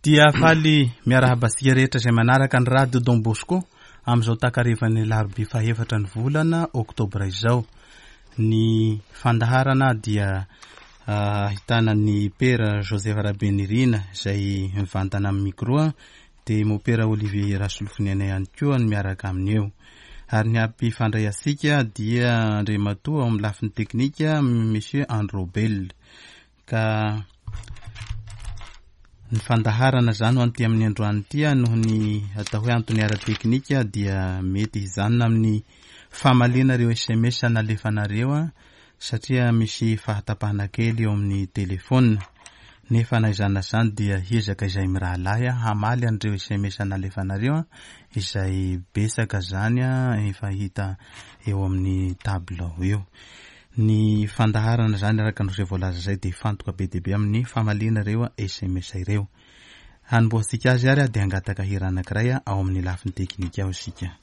Dia faly miarahaba antsika rehetra izay manaraka ny Radio Don Bosco amin'izao takarivan'ny alarobia fahefatra ny volana oktobra izao. Ny fandaharana dia ahitana ny Pera Joseph Rabenirina izay mivantana amin'ny micro dia Mopera Olivier Rasolofoniaina ihany koa no miaraka aminy eo. Ary ny hampifandray antsika dia Andriamatoa ao amin'ny lafiny teknika Monsieur Androbel. Ka ny fandaharana izany ho an'ity amin'ny androany ity noho ny atao hoe antony ara-teknika dia mety hijanona amin'ny famaliana ireo sms nalefanareo satria misy fahatapahana kely eo amin'ny telefaonina. Nefa na izany na izany dia hiezaka izay mirahalahy hamaly an'ireo sms nalefanareo izay betsaka izany efa hita eo amin'ny tabilao eo. Ny fandaharana izany araka ny izay voalaza izay dia hifantoka be dia be amin'ny famaliana ireo sms ireo. Hanombohantsika azy ary dia hangataka hira anankiray ao amin'ny lafiny teknika ao isika.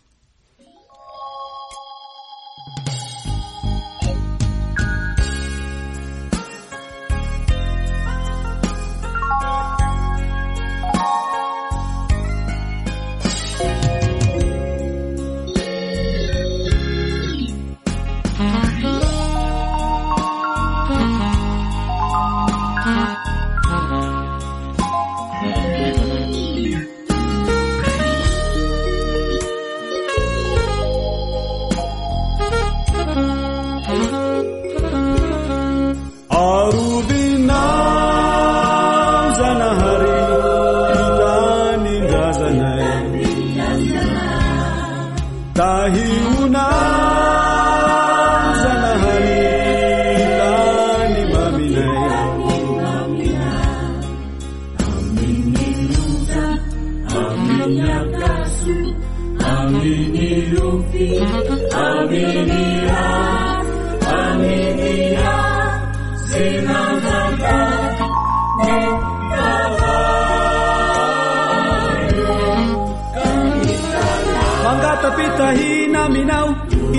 Mangatapitahina aminao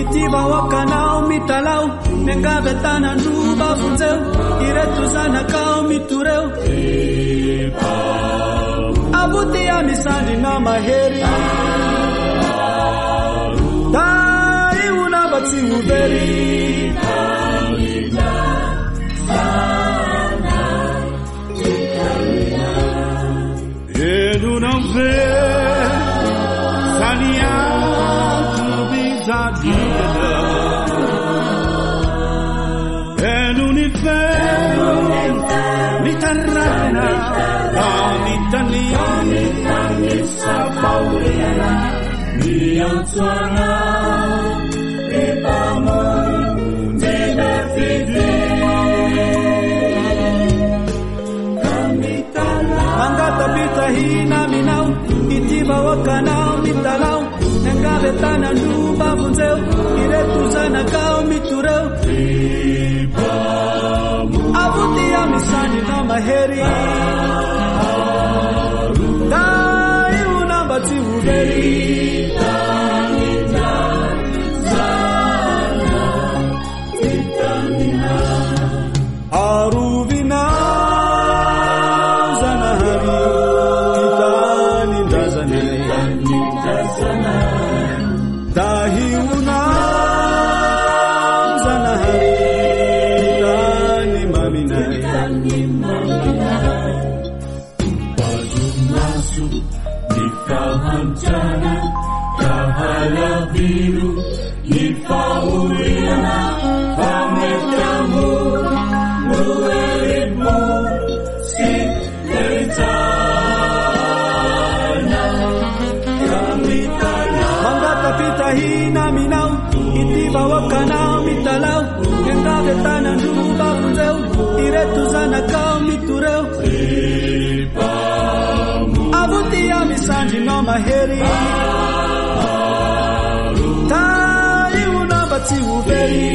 ity vahoakanao mitalao miangavy an-tanan-droa vonjeo ireto zanakao mitoreo avoty amisandrinao mahery tahiona mba tsy ho very Enonao ve fa ny antom-pijaliana Eno ny feo mitaraina Amin'ny tany miantso anao ry Mpamonjy lehibe Mangatapitahina aminao ity vahoakanao mitalao miangavy an-tanan-droa mba vonjeo ireto zanakao mitoreo avoty amin'ny mahery tahiona mba tsy ho very Arovina Zanahary ty tanindrazanay Tahiona Zanahary ty tany maminay Topazo-maso ny fahantrana ka halaviro ny fahoriana fa mety hamono herim-po sy herin-tsaina ka mitalaho. Mangatapitahina aminao ity vahoakanao mitalao miangavy an-tanan-droa mba vonjeo ireto zanakao mitoreo avoty amin'ny mahery tahiona mba tsy ho very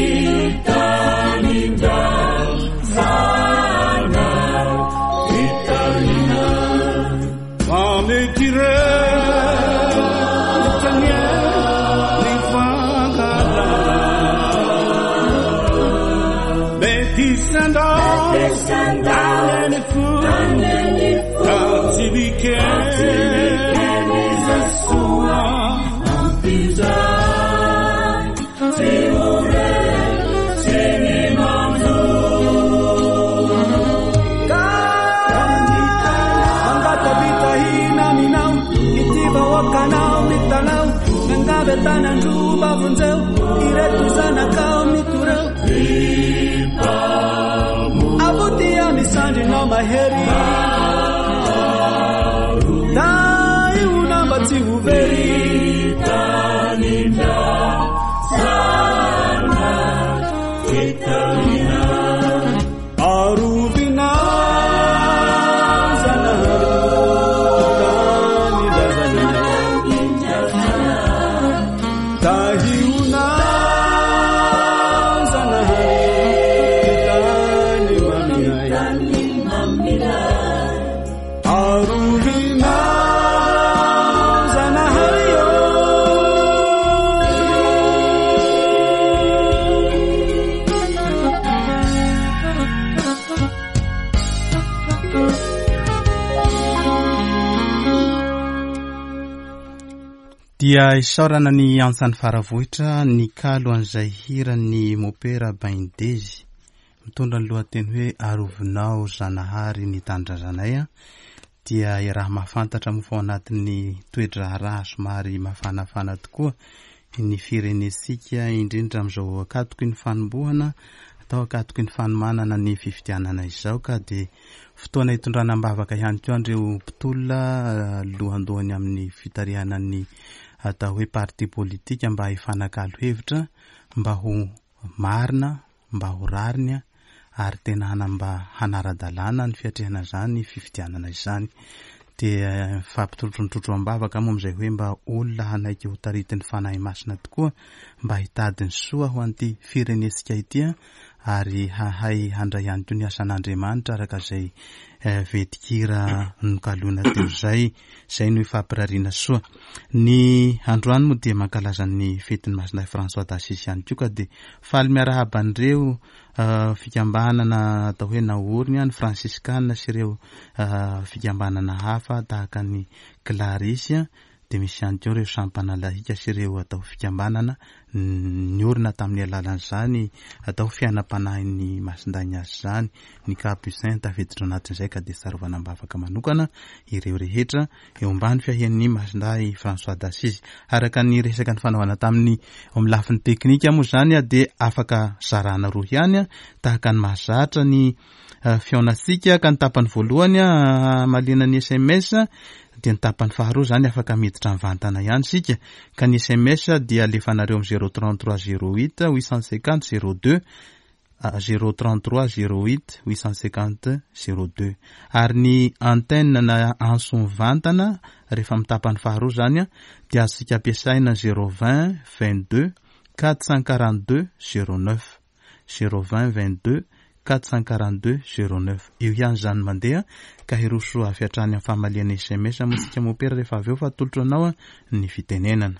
Fa mety rehetra ny ny fankahalana Mety sandao any fo ka tsy Dia isaorana ny antsan'ny Faravohitra nikalo an'izay hiran'ny Mopera Baindezy mitondra ny lohateny hoe Arovinao Zanahary ny Tanindrazanay dia iaraha-mahafantatra moa fa ao anatin'ny toe-draharaha somary mafanafana tokoa ny firenentsika indrindra amin'izao ankatoky ny fanombohana atao ankatoky ny fanomanana ny fifidianana izao ka dia fotoana hitondrana am-bavaka ihany koa an'ireo mpitolona lohandohany amin'ny fitarihana ny atao hoe parti politika mba hifanakalo hevitra mba ho marina mba ho rariny ary tena hanamba hanara-dalàna ny fiatrehana izany fifidianana izany. Dia mifampitorotronitrotro am-bavaka moa amin'izay hoe mba olona hanaiky ho taritin'ny Fanahy Masina tokoa mba hitady ny soa ho an'ity firenentsika ity ary hahay handray ihany koa ny asan'Andriamanitra araka izay vetin-kira nokaloina teo izay. Izay no ifampirariana soa. Ny androany moa dia mankalaza ny fetin'i Masindahy François d'Assise ihany koa ka dia faly miarahaba an'ireo fikambanana atao hoe naoriny, ny Fransiskana sy ireo fikambanana hafa tahaka ny Clarisse dia misy ihany koa ireo sampana lahika sy ireo atao fikambanana niorina tamin'ny alalan'izany atao fiainam-panahin'ny Masindahy Ignace izany, ny Capucin tafiditra ao anatin'izay ka dia tsarovana am-bavaka manokana ireo rehetra eo ambany fiahian'ny Masindahy François d'Assise. Araka ny resaka nifanaovana tamin'ny eo amin'ny lafiny teknika moa izany dia afaka zarana roa ihany tahaka ny mahazatra ny fihaonantsika ka ny tapany voalohany hamaliana ny sms dia ny tapany faharoa izany afaka miditra mivantana ihany isika ka ny sms dia alefanareo amin'ny 033 08 850 02 033 08 850 02 ary ny antenne na antso mivantana rehefa amin'ny tapany faharoa izany dia azontsika ampiasaina 020 22 442 09 020 22 442 09. Eo ihany izany mandeha ka hiroso avy hatrany amin'ny famaliana sms moa isika mopera rehefa avy eo fa atolotro anao ny fitenenana.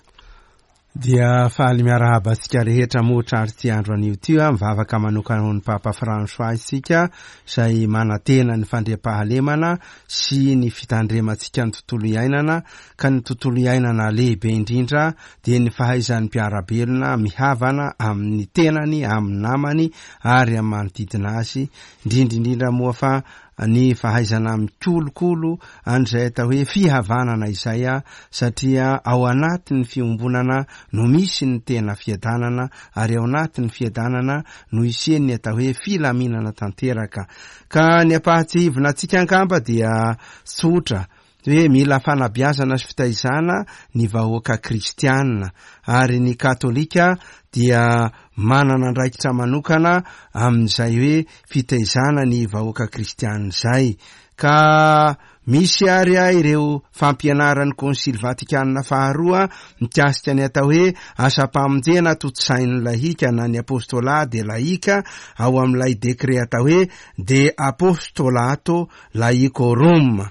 Dia faly miarahaba antsika rehetra moa trarity andro anio ity a, mivavaka manokana ho an'i Papa François isika izay manantena ny fandriampahalemana sy ny fitandremantsika ny tontolo iainana ka ny tontolo iainana lehibe indrindra dia ny fahaizan'ny mpiara-belona mihavana amin'ny tenany, amin'ny namany ary amin'ny manodidina azy, indrindra indrindra moa fa ny fahaizana mikolokolo an'izay atao hoe fihavanana izay satria ao anatin'ny fiombonana no misy ny tena fiadanana ary ao anatin'ny fiadanana no isian'ny atao hoe filaminana tanteraka. Ka ny ampahatsiahivina antsika angamba dia tsotra hoe mila fanabeazana sy fitaizana ny vahoaka kristiana ary ny katolika dia manana andraikitra manokana amin'izay hoe fitaizana ny vahoaka kristiana izay ka misy ary a ireo fampianaran'ny konsily vatikanina faharoa mikasika ny atao hoe asam-pamonjena tontosain'ny lahika na ny apostolat de laïka ao amin'ilay dekret atao hoe de apostolato laicorum.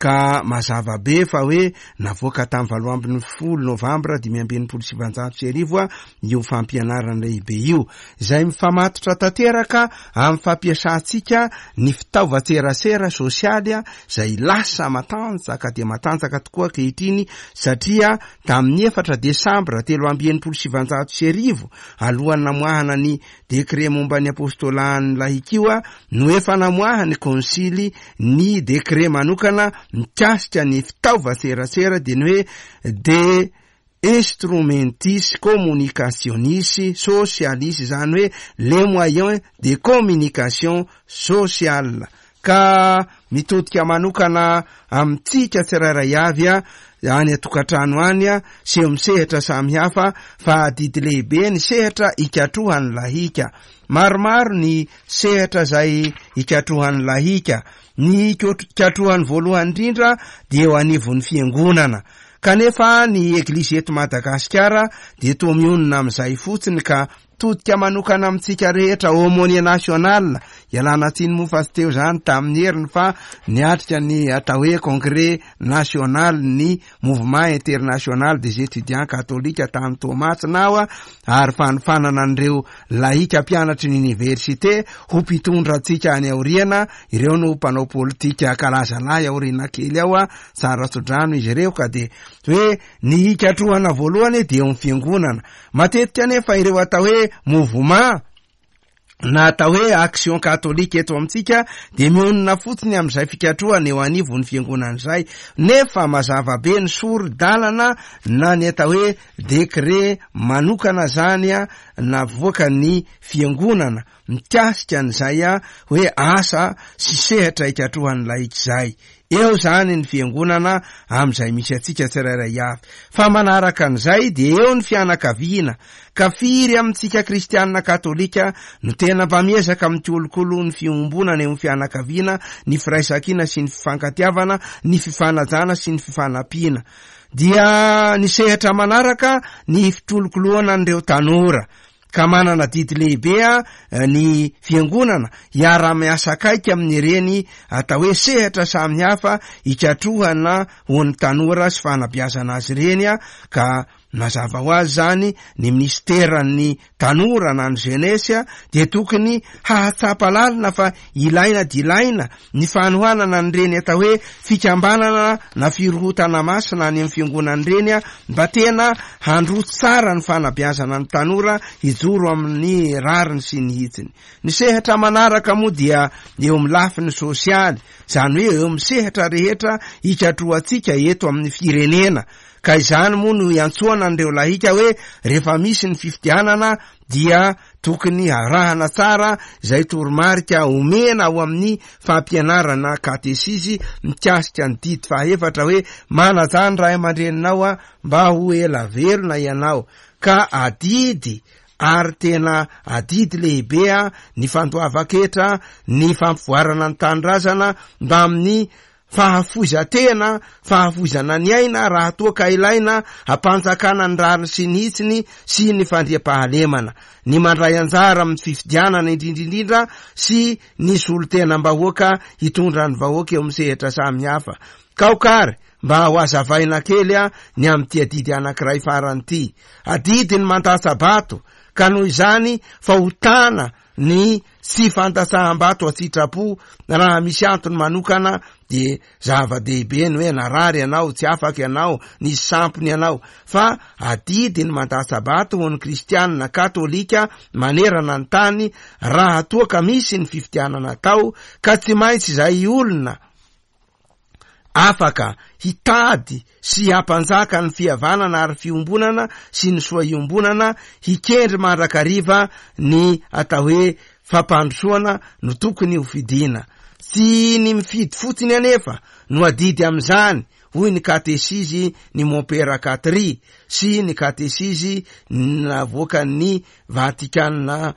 Ka mazava be fa hoe navoaka tamin'ny 18 novambra 1965 io fampianarana lehibe io, izay mifamatotra tanteraka amin'ny fampiasantsika ny fitaovan-tserasera sosialy izay lasa matanjaka dia matanjaka tokoa ankehitriny, satria tamin'ny 4 desambra 1963, alohan'ny namoahana ny Décret momba ny apôstôlahan'ny lahikioa no efa namoahan'ny konsily ny décret manokana mikasika ny fitaovan-tserasera dia ny hoe De instrumentis communicationis socialis, izany hoe les moyens de communication sociale. Ka mitodika manokana amintsika tsirairay avy any an-tokantrano any sy eo amin'ny sehatra samihafa fa adidy lehibe ny sehatra ikatrohan'ny lahika. Maromaro ny sehatra izay ikatrohan'ny lahika. Ny ikatrohany voalohany indrindra dia eo anivon'ny fiangonana. Kanefa ny Eglizy eto Madagasikara dia toa mionona amin'izay fotsiny ka Todika manokana amintsika rehetra aumônier national, ialana tsiny moa fa tsy teo izany tamin'ny heriny fa niatrika ny atao hoe congrès national ny mouvement international des étudiants catholiques tany Toamasina aho ary fanofanana an'ireo laika mpianatry ny université ho mpitondra antsika any aoriana, ireo no mpanao politika kalazalahy aoriana kely ao, tsara tsodrano izy ireo ka dia hoe ny hikatrohana voalohany dia eo amin'ny fiangonana. Matetika anefa ireo atao hoe mouvement na atao hoe action catholique eto amintsika dia mionona fotsiny amin'izay fikatrohana eo anivon'ny fiangonana izay, nefa mazava be ny sori-dalana na ny atao hoe décret manokana izany navoakan'ny fiangonana mikasika an'izay hoe asa sy sehatra ikatrohan'ny laika izay. Eo izany ny fiangonana amin'izay misy antsika tsirairay avy. Fa manaraka an'izay dia eo ny fianakaviana. Ka firy amintsika kristianina katolika no tena mba miezaka mikolokolo ny fiombonana eo amin'ny fianakaviana, ny firaisankina sy ny fifankatiavana, ny fifanajana sy ny fifanampiana. Dia ny sehatra manaraka ny fikolokoloana an'ireo tanora. Ka manana adidy lehibe ny Fiangonana hiara-miasa akaiky amin'ireny atao hoe sehatra samihafa hikatrohana ho an'ny tanora sy fanabeazana azy ireny ka mazava ho azy izany ny minisiteran'ny tanora na ny jeunesse dia tokony hahatsapa lalina fa ilaina dia ilaina ny fanohanana an'ireny atao hoe fikambanana na firohotana masina any amin'ny fiangonana ireny mba tena handroso tsara ny fanabeazana ny tanora hijoro amin'ny rariny sy ny hitsiny. Ny sehatra manaraka moa dia eo amin'ny lafiny sosialy, izany hoe eo amin'ny sehatra rehetra ikatrohantsika eto amin'ny firenena, ka izany moa no iantsoana an'ireo lahika hoe rehefa misy ny fifidianana dia Tokony harahana tsara izay toromarika omena ao amin'ny fampianarana katesizy mikasika ny didy fahaefatra hoe manajà ny ray aman-dreninao mba ho ela velona ianao, ka adidy ary tena adidy lehibe ny fandoavan-ketra ny fampivoarana ny tanindrazana mbamin'ny Fahafoizan-tena, fahafoizana ny aina raha toa ka ilaina, hampanjakana ny rariny sy ny hitsiny sy ny fandriampahalemana. Ny mandray anjara amin'ny fifidianana indrindra indrindra sy ny solontenam-bahoaka hitondra ny vahoaka eo amin'ny sehatra samihafa. Kaoka ary mba ho hazavaina kely ny amin'ity adidy anankiray farany ity. Adidy ny mandatsa-bato ka noho izany fahotana ny tsy fandatsaham-bato an-tsitrapo raha misy antony manokana dia zava-dehibe ny hoe narary ianao, tsy afaka ianao, nisy sampona ianao, fa adidy ny mandatsa-bato ho an'ny kristianina katolika manerana ny tany raha toa ka misy ny fifidianana atao ka tsy maintsy izay olona afaka hitady sy hampanjaka ny fihavanana ary fiombonana sy ny soa iombonana, hikendry mandrakariva ny atao hoe fampandrosoana no tokony ho fidiana. Tsy ny mifidy fotsiny anefa no adidy amin'izany, hoy ny katesizy ny Mompera Katri sy ny katesizy navoakan'ny Vatikana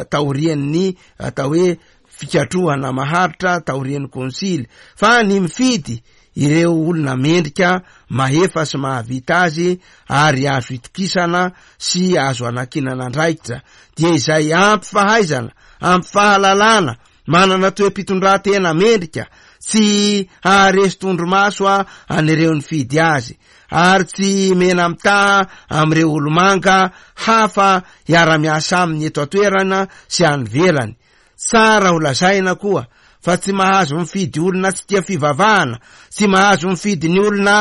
taorian'ny atao hoe fikatrohana maharitra taorian'ny konsily, fa ny mifidy ireo olona mendrika, mahefa sy mahavita azy ary azo itokisana sy azo anankinana andraikitra, dia izay ampy fahaizana, ampy fahalalana, manana toe-pitondrantena mendrika. Tsy haharesy tondromaso an'ireo nifidy azy, ary tsy mena-mitaha amin'ireo olomanga hafa hiara-miasa aminy eto an-toerana sy any ivelany. Tsara ho lazaina koa fa tsy mahazo mifidy olona tsy tia fivavahana, tsy mahazo mifidy ny olona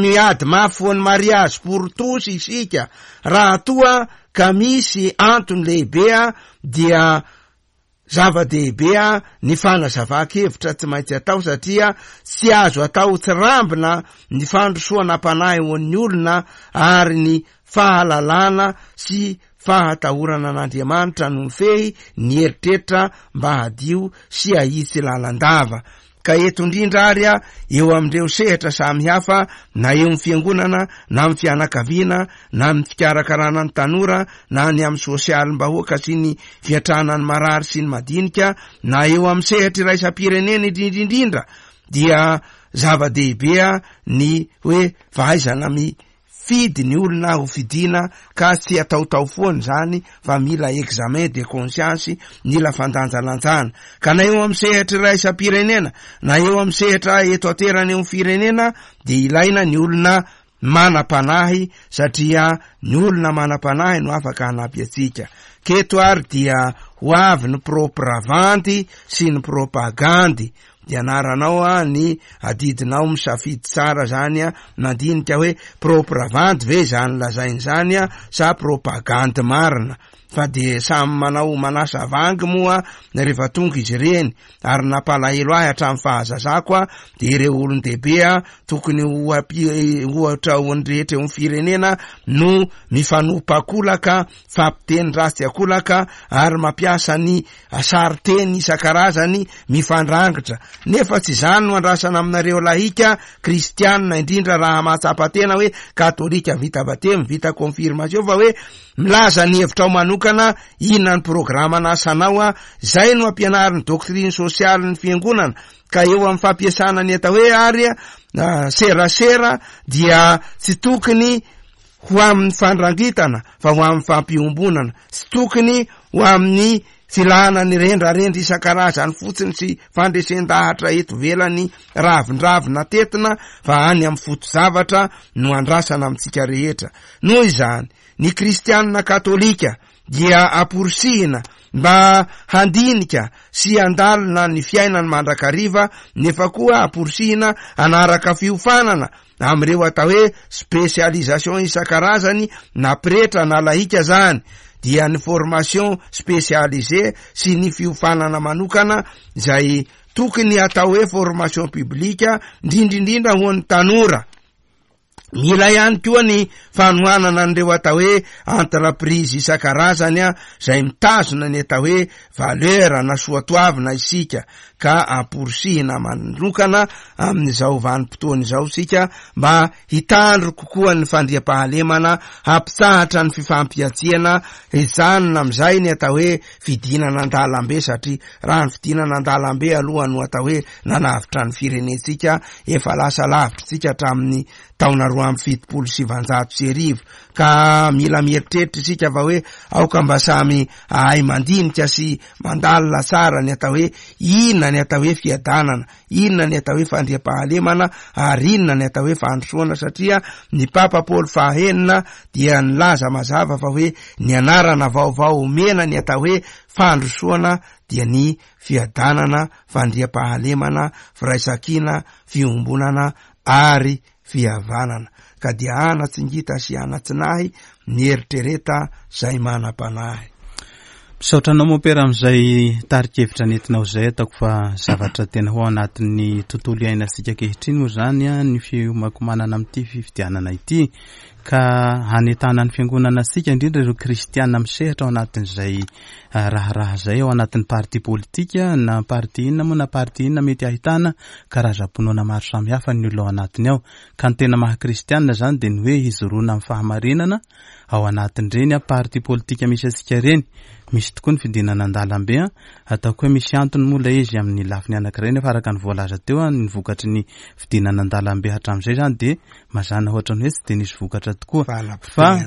miady mafy ho an'ny mariage pour tous isika raha toa ka misy antony lehibe dia Zava-dehibe ny fanazavan-kevitra tsy maintsy atao satria tsy azo atao tsirambina ny fandrosoana am-panahy ho an'ny olona ary ny fahalalana sy fahatahorana an'Andriamanitra no mifehy ny eritreritra mba hadio sy hahitsy lalandava. Ka eto indrindra ary eo amin'ireo sehatra samihafa na eo amin'ny fiangonana na amin'ny fianakaviana na amin'ny fikarakarana ny tanora na ny amin'ny sosialim-bahoaka sy ny fiatrana ny marary sy ny madinika na eo amin'ny sehatra iraisam-pirenena indrindra indrindra dia zava-dehibe ny hoe fahaizana mi Fidy ny olona ho fidiana ka tsy ataotao foana izany fa mila examen de conscience, mila fandanjalanjana. Ka na eo amin'ny sehatra iraisam-pirenena na eo amin'ny sehatra eto an-toerana eo amin'ny firenena dia ilaina ny olona manam-panahy satria ny olona manam-panahy no afaka hanampy antsika. K'eto ary dia ho avy ny propravandy sy ny propagandy. Dia anaranao a ny adidinao misafidy tsara zany a, mandinika hoe propravandy ve izany lazainy izany a sa propagandy marina, fa de samy manao manasa vangy moa rehefa tonga izy ireny, ary nampalahelo ahy hatramin'ny fahazazako a de ireo olon-dehibe a tokony ho ohatra ho an'ny rehetra eo amin'ny firenena no mifanopa kolaka, fampiteny ratsy akolaka ary mampiasa ny Sarin-teny isan-karazany mifandrangitra. Nefa tsy izany no andrasana aminareo lahika kristianina, indrindra raha mahatsapa tena hoe katolika vita batemy, vita confirmation, fa hoe milaza ny hevitrao manokana, inona ny programan'asanao, a, izay no ampianarin'ny doctrine sociale-n'ny fiangonana. Ka eo amin'ny fampiasana ny atao hoe ary serasera dia tsy tokony ho amin'ny fandrangitana fa ho amin'ny fampiombonana, tsy tokony ho amin'ny filana ny rendrarendra isan-karazany fotsiny sy fandresen-dahatra eto ivelany ravindravina tetina fa any amin'ny foto-javatra no andrasana amintsika rehetra. Noho izany, ny kristianina katolika dia amporisihina mba handinika sy handalina ny fiainany mandrakariva nefa koa amporisihina hanaraka fiofanana amin'ireo atao hoe spécialisation isan-karazany na pretra na lahika zany dia ny formation spécialisée sy ny fiofanana manokana izay tokony atao hoe formation publique indrindrindrindra ho an'ny tanora. Mila ihany koa ny fanohanana an'ireo atao hoe entreprise isan-karazany izay mitazona ny atao hoe valeur na soatoavina isika ka amporisihina manokana amin'izao vanim-potoana izao isika mba hitandro kokoa ny fandriampahalemana, hampitsahatra ny fifampihantsiana, hijanona amin'izay ny atao hoe fidinana an-dalambe satria raha ny fidinana an-dalambe aloha no atao hoe nanavotra ny firenentsika, efa lasa lavitra isika hatramin'ny taona 1972 ka mila mieritreritra isika fa hoe aoka mba samy ahay mandinika sy mandalina tsara ny atao hoe inona ny atao hoe fiadanana, inona ny atao hoe fandriampahalemana ary inona ny atao hoe fandrosoana satria ny Papa Paoly fahaenina dia nilaza mazava fa hoe ny anarana vaovao omena ny atao hoe fandrosoana dia ny fiadanana, fandriampahalemana, firaisankina, fiombonana ary fihavanana, ka dia ana-tsingita sy ana-tsinahy mieritrereta zay manam-panahy. Misaotra anao Mompera amin'izay tari-kevitra nentinao izay, ataoko fa zavatra tena ho ao anatin'ny tontolo iainantsika ankehitriny moa izany ny fiomakomanana amin'ity fifidianana ity ka hanentana ny fiangonana antsika indrindra ireo kristiana misehatra ao anatin'izay raharaha izay ao anatin'ny parti politika na parti inona moa na parti inona mety ahitana karazam-pinoana maro samihafa ny olona ao anatiny ao. Ka ny tena maha kristianina izany dia ny hoe hijoroana amin'ny fahamarinana ao anatin'ireny parti politika misy antsika ireny. misy tokoa ny fidinana an-dalambe an, ataoko hoe misy antony moa ilay izy amin'ny lafiny anankiray nefa araka ny voalaza teo an, ny vokatry ny fidinana an-dalambe hatramin'izay izany dia mazàna ohatran'ny hoe tsy dia nisy vokatra tokoa. Fa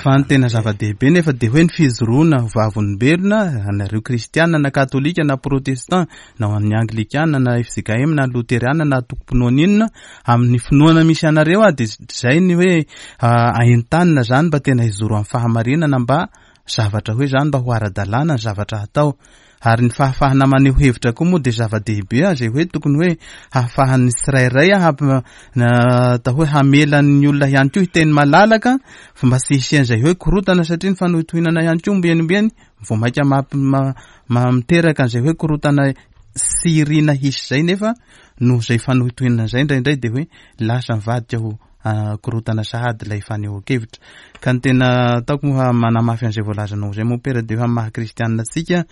fa ny tena zava-dehibe nefa dia hoe ny fijoroana ho vavolombelona anareo kristiana na katolika na protestant na ho an'ny anglikana na fjkm na loteriana na antokom-pinoana inona amin'ny finoana misy anareo ah dia izay ny hoe entanina izany mba tena hijoro amin'ny fahamarinana mba zavatra hoe izany mba ho ara-dalàna ny zavatra hatao. Ary ny fahafahana maneho hevitra koa moa dia zava-dehibe izay hoe tokony hoe hahafahan'ny tsirairay atao hoe hamela ny olona ihany koa hiteny malalaka fa mba tsy hisian'izay hoe korotana satria ny fanohitohinana ihany koa ombieny ombieny vao mainka miteraka an'izay hoe korotana tsy irina hisy izay nefa noho izay fanohitohinana izay indraindray dia hoe lasa mivadika ho korontana sahady ilay fanehoan-kevitra. Ka ny tena ataoko moa manamafy an'izay voalazanao izay mompera dia hoe amin'ny maha kristianina antsika,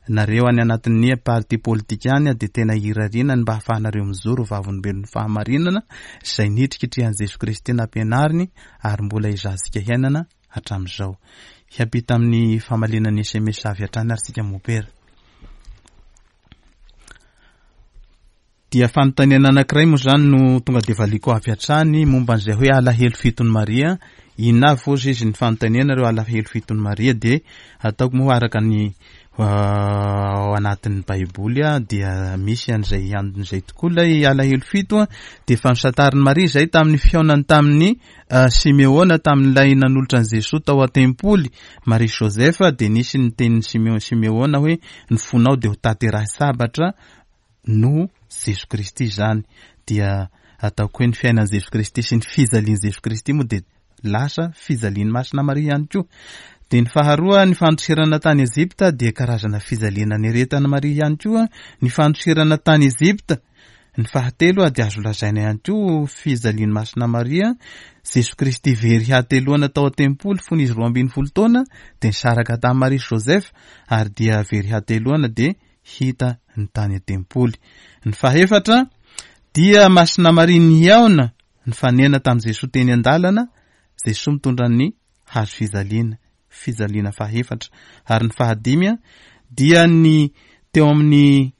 nareo any anatin'ny parti politika any dia tena irariana ny mba hahafahanareo mijoro ho vavolombelon'ny fahamarinana izay nitrikitrihan'i Jesoa Kristy nampianariny ary mbola ezahantsika hiainana hatramin'izao. Hiampita amin'ny famaliana ny sms avy hatrany ary tsika mompera. Dia fanontaniana anankiray moa izany no tonga dia valiako avy hatrany momba an'izay hoe alahelo fiton'i Maria. Inona avy hozy izy ny fanontaniana ireo alahelo fiton'i Maria dia ataoko moa araka ny ao anatin'ny Baiboly dia misy an'izay an'izay tokoa ilay alahelo fito dia efa nosantarin'i Maria izay tamin'ny fihaonany tamin'ny Simeona tamin'ilay nanolotra an'i Jesoa tao an-tempoly Maria Joseph dia nisy ny tenin'i Simeona hoe ny fonao dia ho tanterahy sabatra noho Jeso Kristy izany dia ataoko hoe ny fiainan'i Jeso Kristy sy ny fijalian'i Jeso Kristy moa dia lasa fijalian'i Masina Maria ihany koa. Dia ny faharoa ny fandosirana tany Egypta dia karazana fijaliana niaretan'i Maria ihany koa ny fandosirana tany Egypta. Ny fahatelo dia azo lazaina ihany koa fijalian'i Masina Maria, Jeso Kristy very hateloana tao an-tempoly fony izy 12 taona dia nisaraka tamin'i Maria sy Joseph ary dia very hateloana dia hita ny tany an-tempoly. Ny fahefatra dia Masina Maria nihaona nifanena tamin'i Jesoa teny an-dalana, Jesoa mitondra ny hazo fijaliana, fijaliana fahefatra. Ary ny fahadimy dia ny teo amin'ny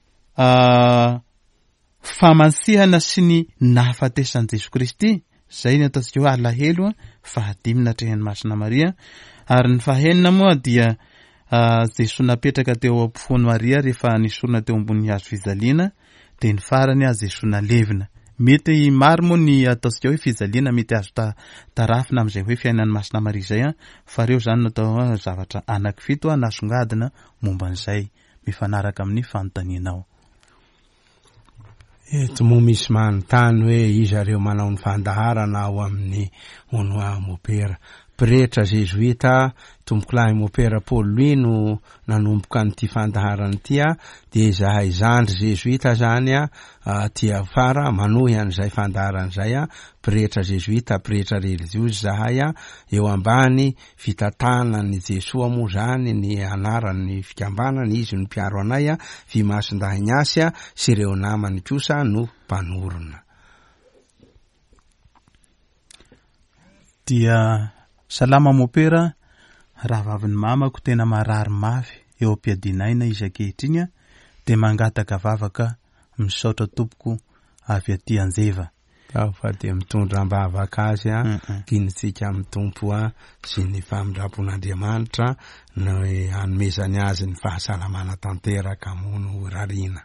Famansihana sy ny nahafatesan'i Jesoa Kristy, izay ny ataontsika hoe alahelo fahadimy natrehin'i Masina Maria, ary ny fahenina moa dia Jesoa napetraka teo ampofoan'i Maria rehefa nesorina teo ambonin'ny hazo fijaliana, dia ny farany Jesoa nalevina. Mety maro moa ny ataontsika hoe fijaliana mety azo tarafina amin'izay hoe fiainan'i Masina Maria izay, fa ireo izany no atao zavatra anankifito nasongadina momba an'izay mifanaraka amin'ny fanontanianao. Eto moa misy manontany hoe iza ireo manao ny fandaharana ao amin'ny Onua Mopera. Pretra zezoita, Tompokolahy Mopera Paul Louis no nanomboka an'ity fandaharana ity dia izahay zandry zezoita zany aty afara manohy an'izay fandaharana izay, pretra zezoita, pretra relijiozy izahay eo ambany Fitantanan'i Jesoa moa izany ny anaran'ny fikambanana, izy no mpiaro anay, Vy Masindahy Ignace sy ireo namany kosa no mpanorina. Dia salama mopera, rahavavin'ny mamako tena marary mafy eo am-piadiana aina izy ankehitriny dia mangataka vavaka misaotra tompoko avy aty Anjeva. Aho fa dia mitondra am-bavaka azy a, ginitsika amin'ny Tompo a, sy ny famindram-pon'Andriamanitra ny hanomezany azy ny fahasalamana tanteraka moa no rariana.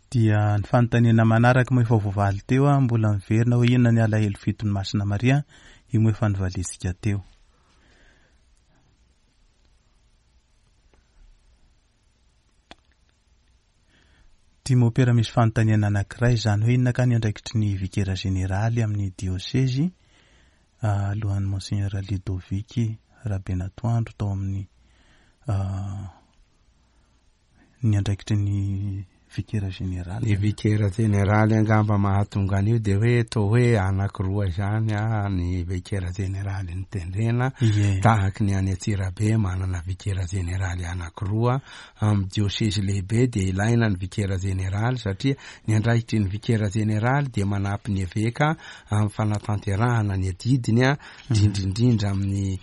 Dia ny fanontaniana manaraka moa efa voavaly teo a, mbola miverina hoe inona ny alahelo fiton'i Masina Maria, io moa efa novaliantsika teo. Ity mopera misy fanontaniana anankiray izany hoe inona ka ny andraikitry ny vikera jeneraly amin'ny diosezy alohan'ny Monseigneur Ludovic Rabenatoandro tao amin'ny ny andraikitry ny Vikera jeneraly. Ny vikera jeneraly angamba mahatonga an'io dia hoe toa hoe anankiroa izany ny vikera jeneraly notendrena, tahaky ny any Antsirabe manana vikera jeneraly anankiroa, amin'ny diosezy lehibe dia ilaina ny vikera jeneraly satria ny andraikitry ny vikera jeneraly dia manampy ny eveka amin'ny fanatanterahana ny adidiny, indrindra indrindra amin'ny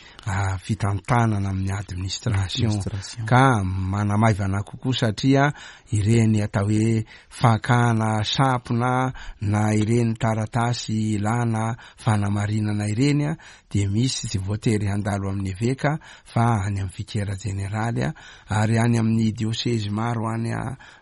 fitantanana amin'ny administration ka manamaivana kokoa satria ireny atao hoe fakana sampona na ireny taratasy ilana fanamarinana ireny dia misy tsy voatery handalo amin'ny eveka fa any amin'ny vikera jeneraly ary any amin'ny diosezy maro any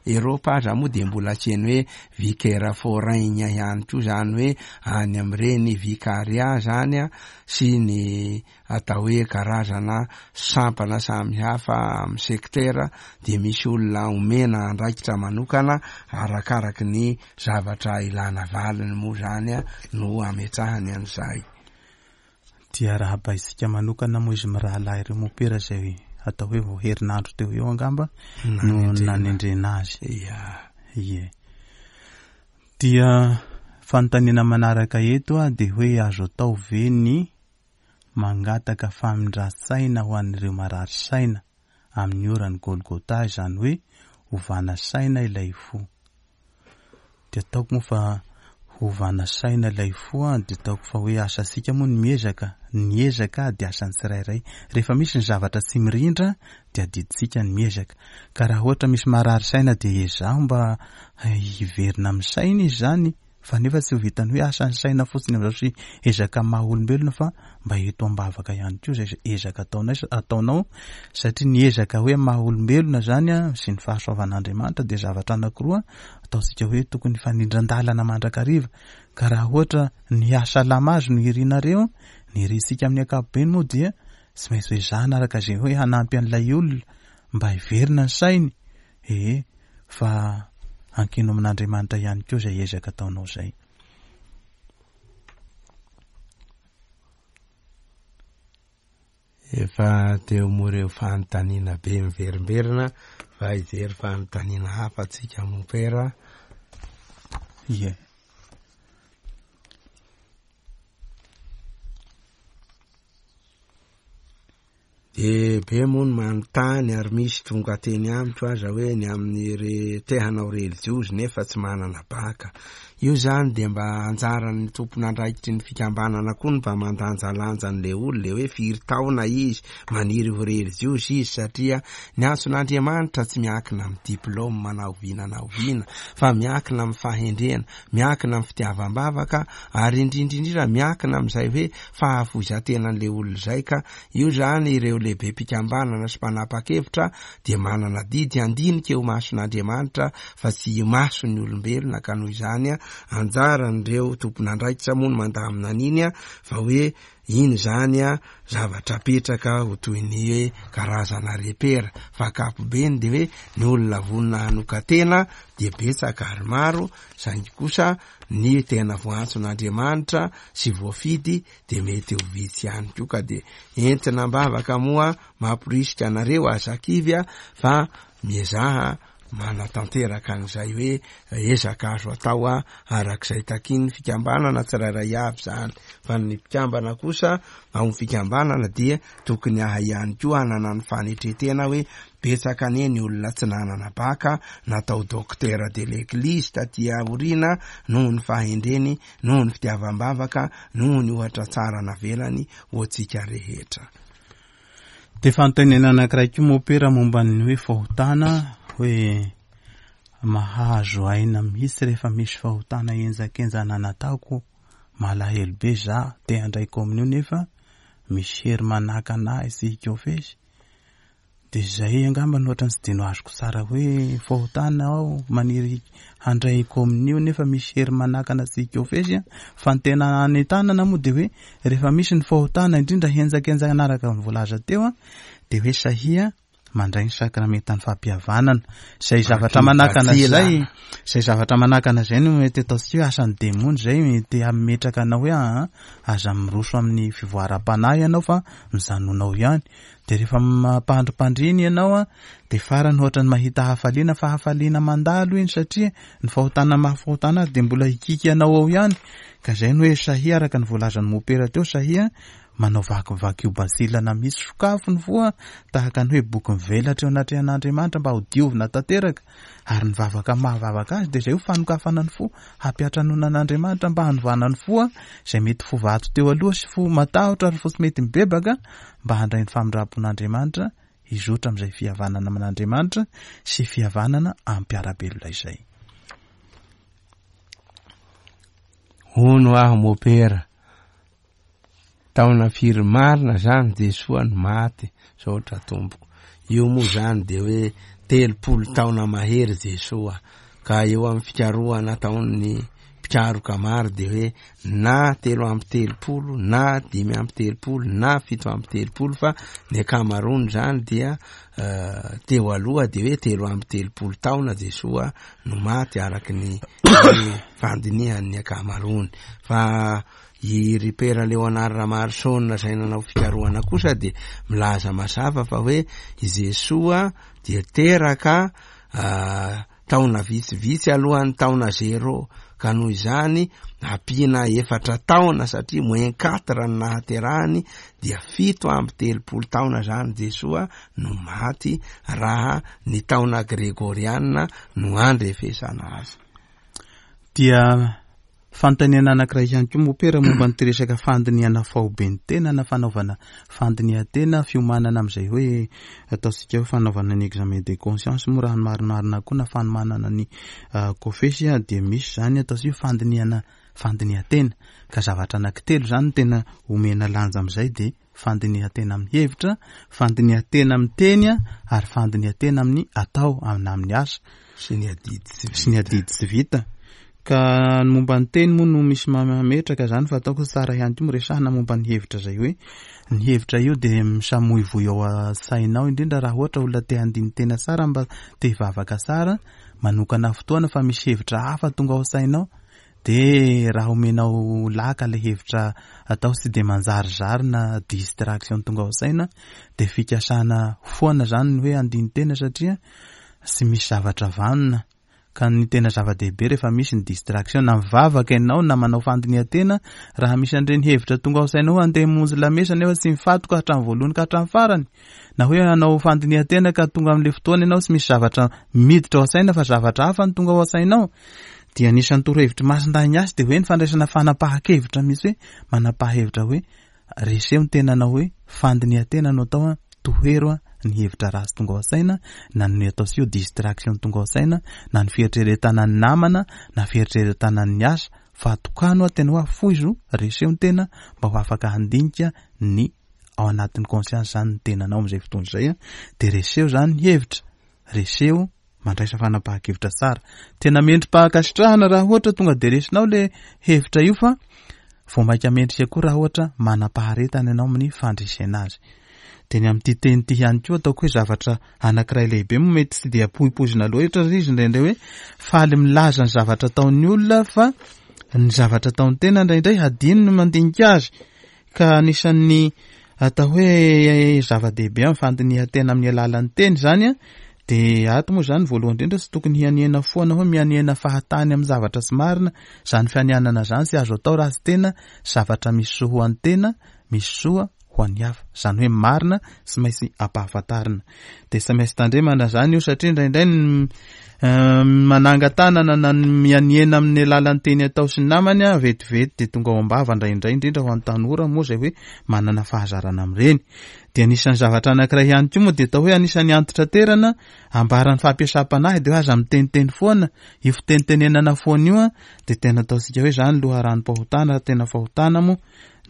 Eropa aza moa dia mbola asiany hoe vikera forain ihany koa izany hoe any amin'ireny vikaria zany sy ny atao hoe karazana sampana samihafa amin'ny sektera dia misy olona omena andraikitra manokana arakaraky ny zavatra ilana valiny moa zany no ametrahany an'izay. Dia arahabaintsika manokana moa izy mirahalahy ireo mompera izay atao hoe vao herinandro teo eo angamba no nanendrena azy. Ia. Ie. Dia fanontaniana manaraka eto dia hoe azo atao ve ny mangataka famindran-tsaina ho an'ireo marary saina amin'ny oran'ny Golgotha, izany hoe ovana saina ilay fo. Dia ataoko moa fa hovana saina ilay fo an, dia ataoko fa hoe asantsika moa ny miezaka, ny ezaka dia asan'ny tsirairay. Rehefa misy ny zavatra tsy mirindra dia adidintsika ny miezaka. Ka raha ohatra misy marary saina dia ezaho mba hiverina amin'ny saina izy izany. Fa nefa tsy ho vitan'ny hoe asan'ny saina fotsiny amin'izao sy ezaka maha olombelona fa mba eto am-bavaka ihany koa izay ezaka ataonay ataonao satria ny ezaka hoe maha olombelona izany sy ny fahasoavan'Andriamanitra dia zavatra anankiroa ataontsika hoe tokony hifanindran-dalana mandrakariva ka raha ohatra ny hahasalama azy no irinareo, ny irintsika amin'ny ankapobeny moa dia tsy maintsy ho ezahana araka izay hoe hanampy an'ilay olona mba hiverina ny sainy. Ee, fa ankino amin'Andriamanitra ihany koa izay ezaka ataonao izay. Efa teo moa ireo fanontaniana be miverimberina fa hijery fanontaniana hafa tsika mompera. Ie. Dia be moa ny manontany ary misy tonga teny amiko aza hoe ny amin'ny re te hanao relijiozy nefa tsy manana baka. Io zany dia mba anjaran'ny tompon'andraikitry ny fikambanana koa ny mba mandanjalanja an'le olona le hoe firy taona izy, maniry ho relijiozy izy satria ny antson'Andriamanitra tsy miankina amin'ny diplôme na oviana na oviana fa miankina amin'ny fahendrena, miankina amin'ny fitiavam-bavaka ary indrindra indrindra miankina amin'izay hoe fahafoizan-tenan'le olona izay ka Io izany ireo lehibem-pikambanana sy mpanapa-kevitra dia manana adidy handinika eo imason'Andriamanitra fa tsy imason'ny olombelona ka noho izany anjaran'ireo tompon'andraikitra moa no mandamina an'iny fa hoe iny izany zavatra apetraka ho toy ny hoe karazana repera fa ankapobeny dia hoe ny olona vonona hanokan-tena dia betsaka ary maro saingy kosa ny tena voantson'Andriamanitra sy voafidy dia mety ho vitsy ihany koa ka dia entina am-bavaka moa mamporisika anareo aza kivy a fa miezaha manatanteraka an'izay hoe ezaka azo atao a arak'izay takian'ny fikambanana tsirairay avy izany fa ny mpikambana kosa ao amin'ny fikambanana dia tokony ahay ihany koa hanana ny fanetretena hoe betsaka anie ny olona tsy nanana baka natao docteur de l'église taty aoriana noho ny fahendreny noho ny fitiavam-bavaka, noho ny ohatra tsara navelany ho antsika rehetra. Dia fanontaniana anankiray koa mopera momba ny hoe fahotana, hoe mahazo aina mihitsy rehefa misy fahotana henjakenjana nataoko, malahelo be za te handray kominio nefa misy hery manakana ahy tsy hikofesy. Dia izay angamba no ohatran'ny tsy dia no azoko tsara hoe fahotana aho maniry handray kominio nefa misy hery manakana tsy hikofesy an. Fa ny tena anentanana moa dia hoe rehefa misy ny fahotana indrindra henjakenjana araka ny voalaza teo an, dia hoe sahia. mandray ny sakramentan'ny fampihavanana. Izay zavatra manakana izay, izay zavatra manakana izay no mety ataontsika hoe asan'ny demony izay mety hametraka anao hoe aa aza miroso amin'ny fivoaram-panahy ianao fa mijanona ao ihany. Dia rehefa mampandrimpandriny ianao an, dia farany ohatran'ny mahita hafaliana fa hafaliana mandalo iny satria ny fahotana maha fahotana azy dia mbola hikiky anao ao ihany. Ka izay no hoe sahia araka ny voalazan'i Mopera teo, sahia manao vakivakio basilana mihitsy, sokafo ny fo an, tahaka ny hoe boky mivelatra eo anatrehan'Andriamanitra mba ho diovina tanteraka. Ary ny vavaka maha vavaka azy dia izay ho fanokafana ny fo, hampiantranoana an'Andriamanitra mba hanovana ny fo izay mety fo vato teo aloha sy fo matahotra ary fo tsy mety mibebaka mba handray ny famindram-pon'Andriamanitra hizotra amin'izay fihavanana amin'Andriamanitra sy fihavanana amin'ny mpiara-belona izay. Hono aho mopera, Taona firy marina zany Jesoa no maty? Saotra tompoko. Io moa zany de hoe 30 taona mahery Jesoa ka eo amin'ny fikarohana ataon'ny mpikaroka maro de hoe na 33 na 35 na 37 fa ny ankamaroany zany dia teo aloha de hoe 33 taona Jesoa no maty araky ny fandinihan'ny ankamaroany fa I ry Pera Léonard Ramarison izay nanao fikarohana kosa dia milaza mazava fa hoe i Jesoa dia teraka taona vitsivitsy alohan'ny taona zéro ka noho izany ampiana efatra taona satria moins quatre ny nahaterahany dia 37 taona izany Jesoa no maty raha ny taona gregoriana no andrefesana azy. Dia Fanontaniana anankiray ihany koa mopera momba ny resaka fandinihana faobe ny tena na fanaovana fandinihan-tena, fiomanana amin'izay hoe ataontsika hoe fanaovana ny examen de conscience moa raha ny marimarina koa na fanomanana ny kofesy dia misy izany ataontsika hoe fandinihana fandinihan-tena ka zavatra anankitelo izany no tena omena lanja amin'izay dia fandinihan-tena amin'ny hevitra, fandinihan-tena amin'ny teny ary fandinihan-tena amin'ny atao na amin'ny asa. Sy ny adidy tsy vita. Sy ny adidy tsy vita. Ka ny momba ny teny moa no misy mametraka izany fa ataoko tsara ihany koa miresahana momba ny hevitra izay hoe ny hevitra io dia misamoivoy ao an-tsainao indrindra raha ohatra olona te handini-tena tsara mba te hivavaka tsara, manokana fotoana fa misy hevitra hafa tonga ao an-tsainao Dia raha omenao laka ilay hevitra atao tsy dia manjarizary na distraction tonga ao saina dia fikasana foana izany ny hoe handini-tena satria tsy misy zavatra vanona. Ka ny tena zava-dehibe rehefa misy ny distraction na mivavaka ianao na manao fandinihan-tena raha misy an'ireny hevitra tonga ao sainao hoe andeha hamonjy lamesa nefa tsy mifatoka hatramin'ny voalohany ka hatramin'ny farany na hoe hanao fandinihan-tena ka tonga amin'ilay fotoana ianao tsy misy zavatra miditra ao an-tsaina fa zavatra hafa no tonga ao an-tsainao dia anisan'ny torohevitr'i Masindahy Ignace dia hoe ny fandraisana fanapahan-kevitra mihitsy hoe manapaha-hevitra hoe reseho ny tenanao hoe fandinihan-tena no atao an, tohero an ny hevitra ratsy tonga ao an-tsaina na ny atao sy io distraction tonga ao an-tsaina na ny fieritreretana ny namana na fieritreretana ny asa fa atokano an tena hoe afoizo reseho ny tena mba ho afaka handinika ny ao anatin'ny conscience zany ny tenanao amin'izay fotoana izay an dia reseho zany ny hevitra reseho Mandraisa fanapahan-kevitra tsara. Tena mendri-pahankasitrahana raha ohatra tonga dia resinao le hevitra io fa vao mainka mendrika koa raha ohatra manam-paharetana ianao amin'ny fandresena azy. Dia ny amin'ity teny ity ihany koa ataoko hoe zavatra anankiray lehibe moa mety tsy dia poipoizina loatra izy indraindray hoe faly milaza ny zavatra ataon'ny olona fa ny zavatra ataon'ny tena indraindray hadino ny mandinika azy. Ka anisan'ny atao hoe zava-dehibe amin'ny fandinihan-tena amin'ny alalan'ny teny izany an, dia ato moa izany voalohany indrindra tsy tokony hianiana foana hoe mianiana fahatany amin'ny zavatra tsy marina, izany fianianana izany tsy azo atao raha tsy tena zavatra misy soa ho an'ny tena, misy soa ho an'ny hafa, izany hoe marina tsy maintsy ampahafantarina. Dia tsy maintsy tandremana izany io satria indraindray ny manangan-tanana na ny mianiana amin'ny alalan'ny teny atao sy ny namany a, vetivety dia tonga ao am-bava indraindray, indrindra ho an'ny tanora moa izay hoe manana fahazarana amin'ireny. Dia anisan'ny zavatra anankiray ihany koa moa dia atao hoe anisan'ny antitraterana ambaran'ny fampiasam-panahy dia hoe aza miteniteny foana, io fitenitenenana foana io a, dia tena ataontsika hoe izany loharanom-pahotana, tena fahotana moa,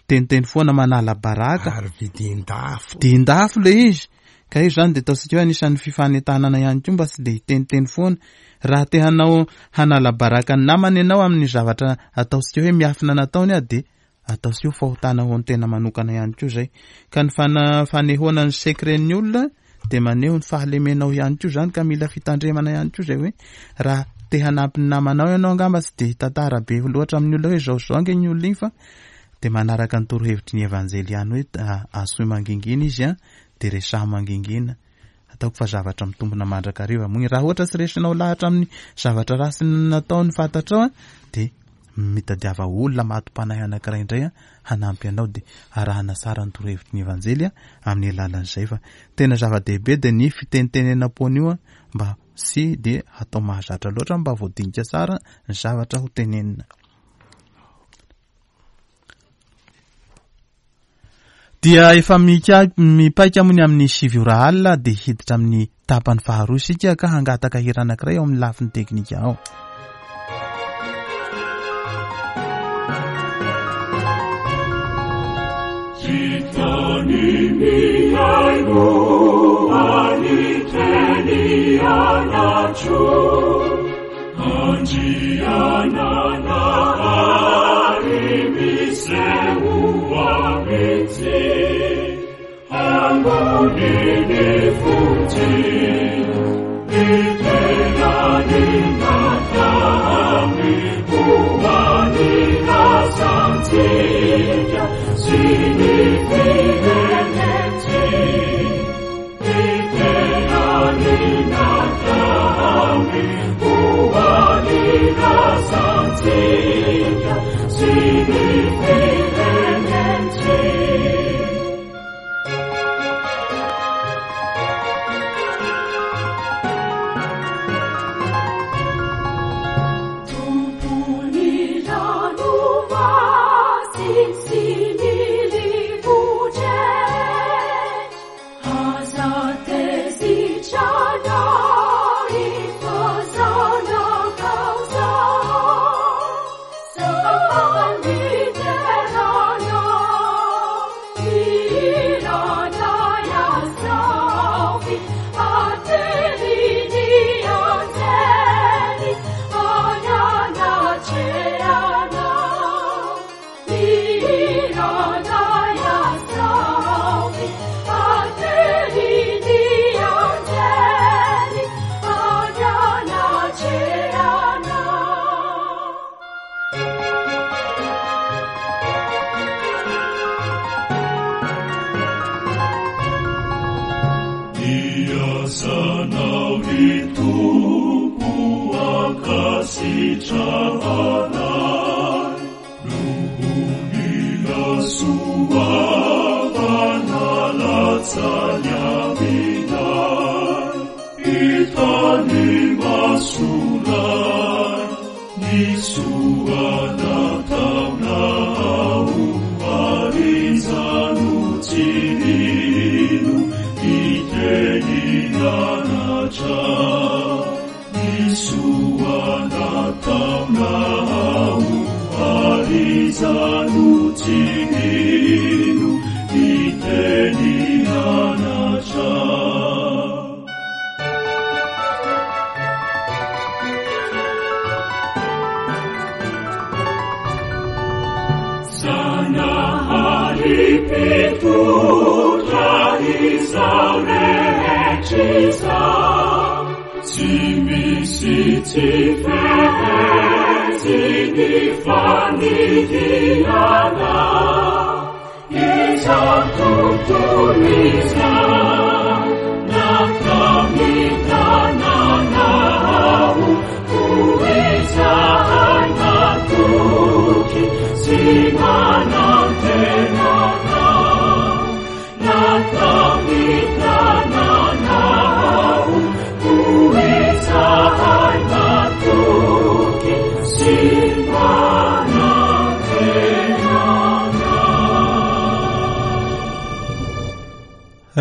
miteniteny foana manala baraka. Ary vidin-dafo. Vidin-dafo ilay izy. Ka io izany dia ataontsika hoe anisan'ny fifanentanana ihany koa mba tsy dia hiteniteny foana. Raha te hanao hanala baraka ny namana ianao amin'ny zavatra ataontsika hoe miafina nataony ah dia ataontsika hoe fahotana ho an'ny tena manokana ihany koa izay. Ka ny fanehoana ny secret-n'ny olona Dia maneho ny fahalemenao ihany koa izany ka mila fitandremana ihany koa izay hoe raha te hanampy ny namanao ianao angamba tsy dia hitantara be loatra amin'ny olona hoe izao sy izao ange ny olona iny fa dia manaraka ny torohevitry ny Evanjely ihany hoe asoy mangingina izy an, dia resaho mangingina. Ataoko fa zavatra mitombina mandrakariva moa iny. Raha ohatra tsy resinao lahatra amin'ny zavatra ratsy nataony fantatrao an, dia mitadiava olona matim-panahy anankiray indray an, hanampy anao dia arahana tsara ny torohevitry ny Evanjely an, amin'ny alalan'izay fa tena zava-dehibe dia ny fitenitenenam-poana io an, mba tsy dia hatao mahazatra loatra mba voadinika tsara ny zavatra ho tenenina. Dia efa mika mipaika moa ny amin'ny 9 ora alina dia hiditra amin'ny tapany faharoa isika ka hangataka hira anankiray ao amin'ny lafiny teknika ao.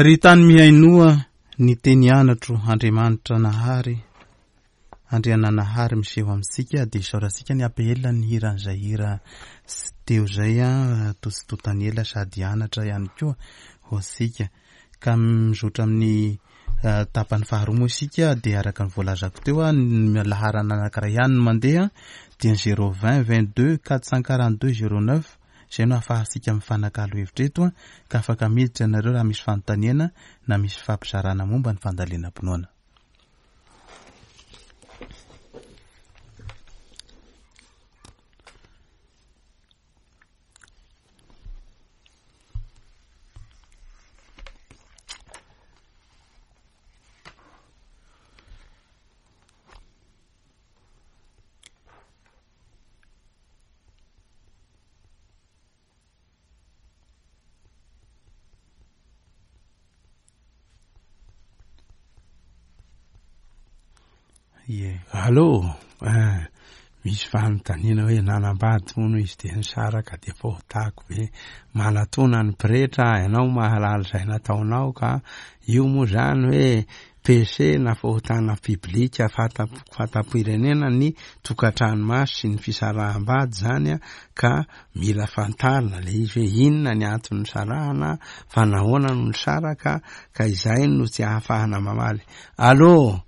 Ry tany mihainoa ny teny anatro Andriamanitra Nahary Andriananahary miseho amintsika dia isaorantsika ny APL ny hiran'izay hira teo izay toa tsy tontan'ny ela sady anatra ihany koa ho antsika ka mizotra amin'ny tapany faharoa moa isika dia araka ny voalazako teo ny laharana anankiray ihany no mandeha dia ny 020 22 442 09. Izay no ahafahantsika mifanakalo hevitra eto ka afaka miditra ianareo raha misy fanontaniana na misy fifampizarana momba ny fandalinam-pinoana. Ie. Allô, eh, misy fanontaniana hoe nanambady hono izy dia nisaraka dia fahotako ve? Manatona ny pretra ianao mahalala izay nataonao ka io moa zany hoe PC na fahotana publika fanta-pirenena ny tokantrano maso sy ny fisaraham-bady zany ka mila fantarina le izy hoe inona ny antony nisarahana fa nahoana no nisaraka ka izay no tsy ahafahana mamaly. Allô!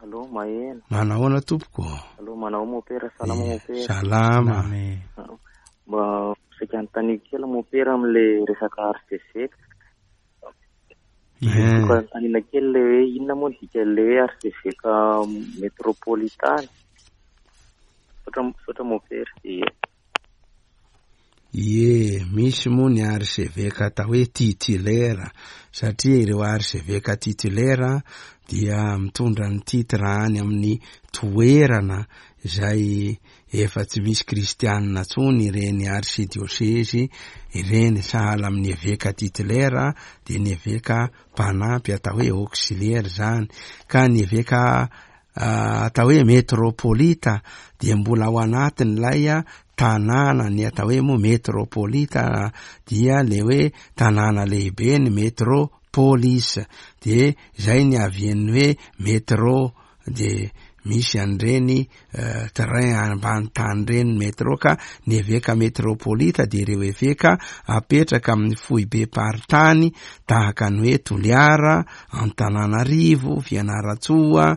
Allô, maheno. Manahoana tompoko? Allô, manao mopera, salama mopera. Salama. Mba saika anontaniako kely mopera amin'le resaka archevêque. Eh. Tiako anontaniana kely le hoe inona moa ny dikan'le hoe archevêque métropolitain? Misaotra misaotra mopera. Ie. Ie, misy moa ny archevêque atao hoe titulaire, satria ireo archevêque titulaire dia mitondra ny titre any amin'ny toerana izay efa tsy misy kristianina intsony ireny archidiosezy ireny, sahala amin'ny eveka titulaire dia ny eveka mpanampy atao hoe auxiliaire izany, ka ny eveka atao hoe metropolita dia mbola ao anatin'ilay tanàna, ny atao hoe moa metropolita dia le hoe tanàna lehibe ny metropolis, dia izay ny avian'ny hoe metro dia misy an'ireny train ambany tany ireny metro ka ny eveka metropolita dia ireo eveka apetraka amin'ny foibem-paritany tahaka ny hoe Toliara, Antananarivo, Fianarantsoa,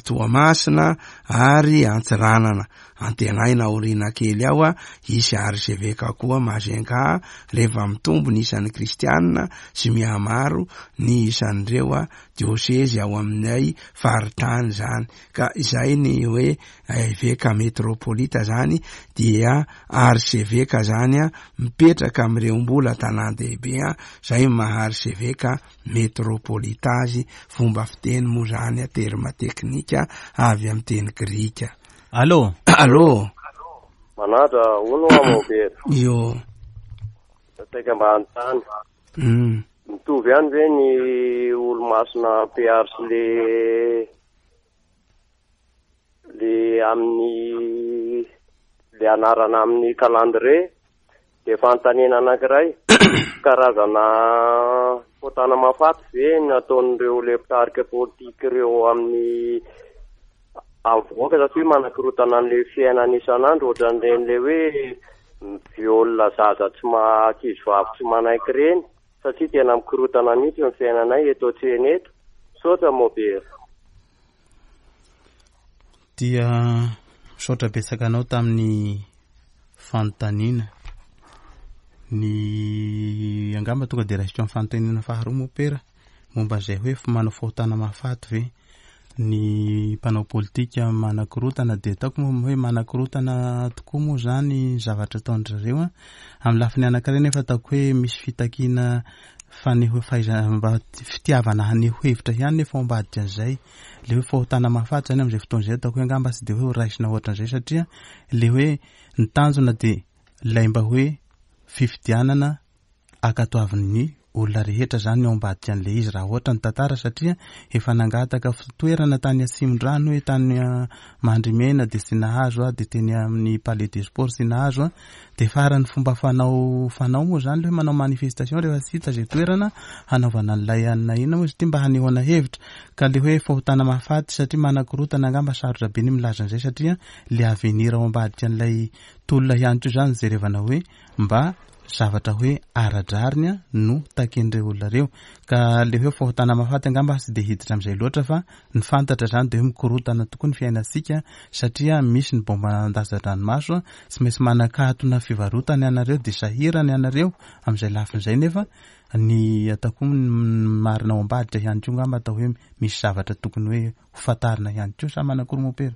Toamasina ary Antsiranana. Antenaina aoriana kely ao hisy archeveka koa Majunga rehefa mitombo ny isan'ny kristianina sy mihamaro ny isan'ireo diosezy ao aminay faritany izany. Ka izay ny hoe eveka metropolita zany dia archeveka zany mipetraka amin'ireo mbola tanàn-dehibe zay maha archeveka metropolita azy, fomba fiteny moa zany terme teknika avy amin'ny teny grika. Allô? Allô? Manandra, hono hoa Maubert? Io. Saika mba hanontany. Mitovy ihany ve ny olomasina PR sy le le amin'ny le anarana amin'ny calendrier? Dia fanontaniana anankiray, karazana fotana mahafaty ve ny ataon'ireo le mpitarika politika ireo amin'ny amin'ny vahoaka satria manakorontana an'le fiainana isan'andro ohatran'ireny le hoe mi-viol zaza tsy ma-, ankizy vavy tsy manaiky ireny satria tena mikorontana mihitsy ny fiainanay eto an-tsena eto. Misaotra Mobera. Dia misaotra betsaka anao tamin'ny fanontaniana. Ny angamba tonga dia raisiko amin'ny fanontaniana faharoa moa pera momba izay hoe manao fahotana mahafaty ve ny mpanao politika manakorontana dia ataoko moa hoe manakorontana tokoa moa izany zavatra ataon-dry zareo an. Amin'ny lafiny anankiray nefa ataoko hoe misy fitakiana faneho fahaizana mba fitiavana haneho hevitra ihany nefa ao ambadika an'izay. Le hoe fahotana mahafaty izany amin'izay fotoana izay ataoko hoe angamba tsy dia hoe ho raisina ohatran'izay satria le hoe ny tanjona dia ilay mba hoe fifidianana ankatoavin'ny olona rehetra izany ny ao ambadika an'ilay izy raha ohatra ny tantara satria efa nangataka toerana tany Atsimondrano hoe tany Mandrimena dia tsy nahazo aho dia teny amin'ny Palais des Sports tsy nahazo aho dia farany fomba fanao fanao moa izany hoe manao manifestation rehefa tsy hita izay toerana hanaovana an'ilay anona inona moa izy ity mba hanehoana hevitra ka le hoe fahotana mahafaty satria manakorotana angamba sarotra be ny milaza an'izay satria le avenir ao ambadika an'ilay tolona ihany koa izany jerevana hoe mba. zavatra hoe ara-drariny no takian'ireo olona ireo. Ka le hoe fahotana mahafaty angamba tsy dia hiditra amin'izay loatra fa ny fantatra izany dia hoe mikorontana tokoa ny fiainantsika satria misy ny bomba andatsa-dranomaso, tsy maintsy manakatona fivarotana ianareo dia sahirana ianareo amin'izay lafiny izay nefa ny ataoko ny marina ao ambadika ihany koa angamba atao hoe misy zavatra tokony hoe ho fantarina ihany koa sa manakory mompera?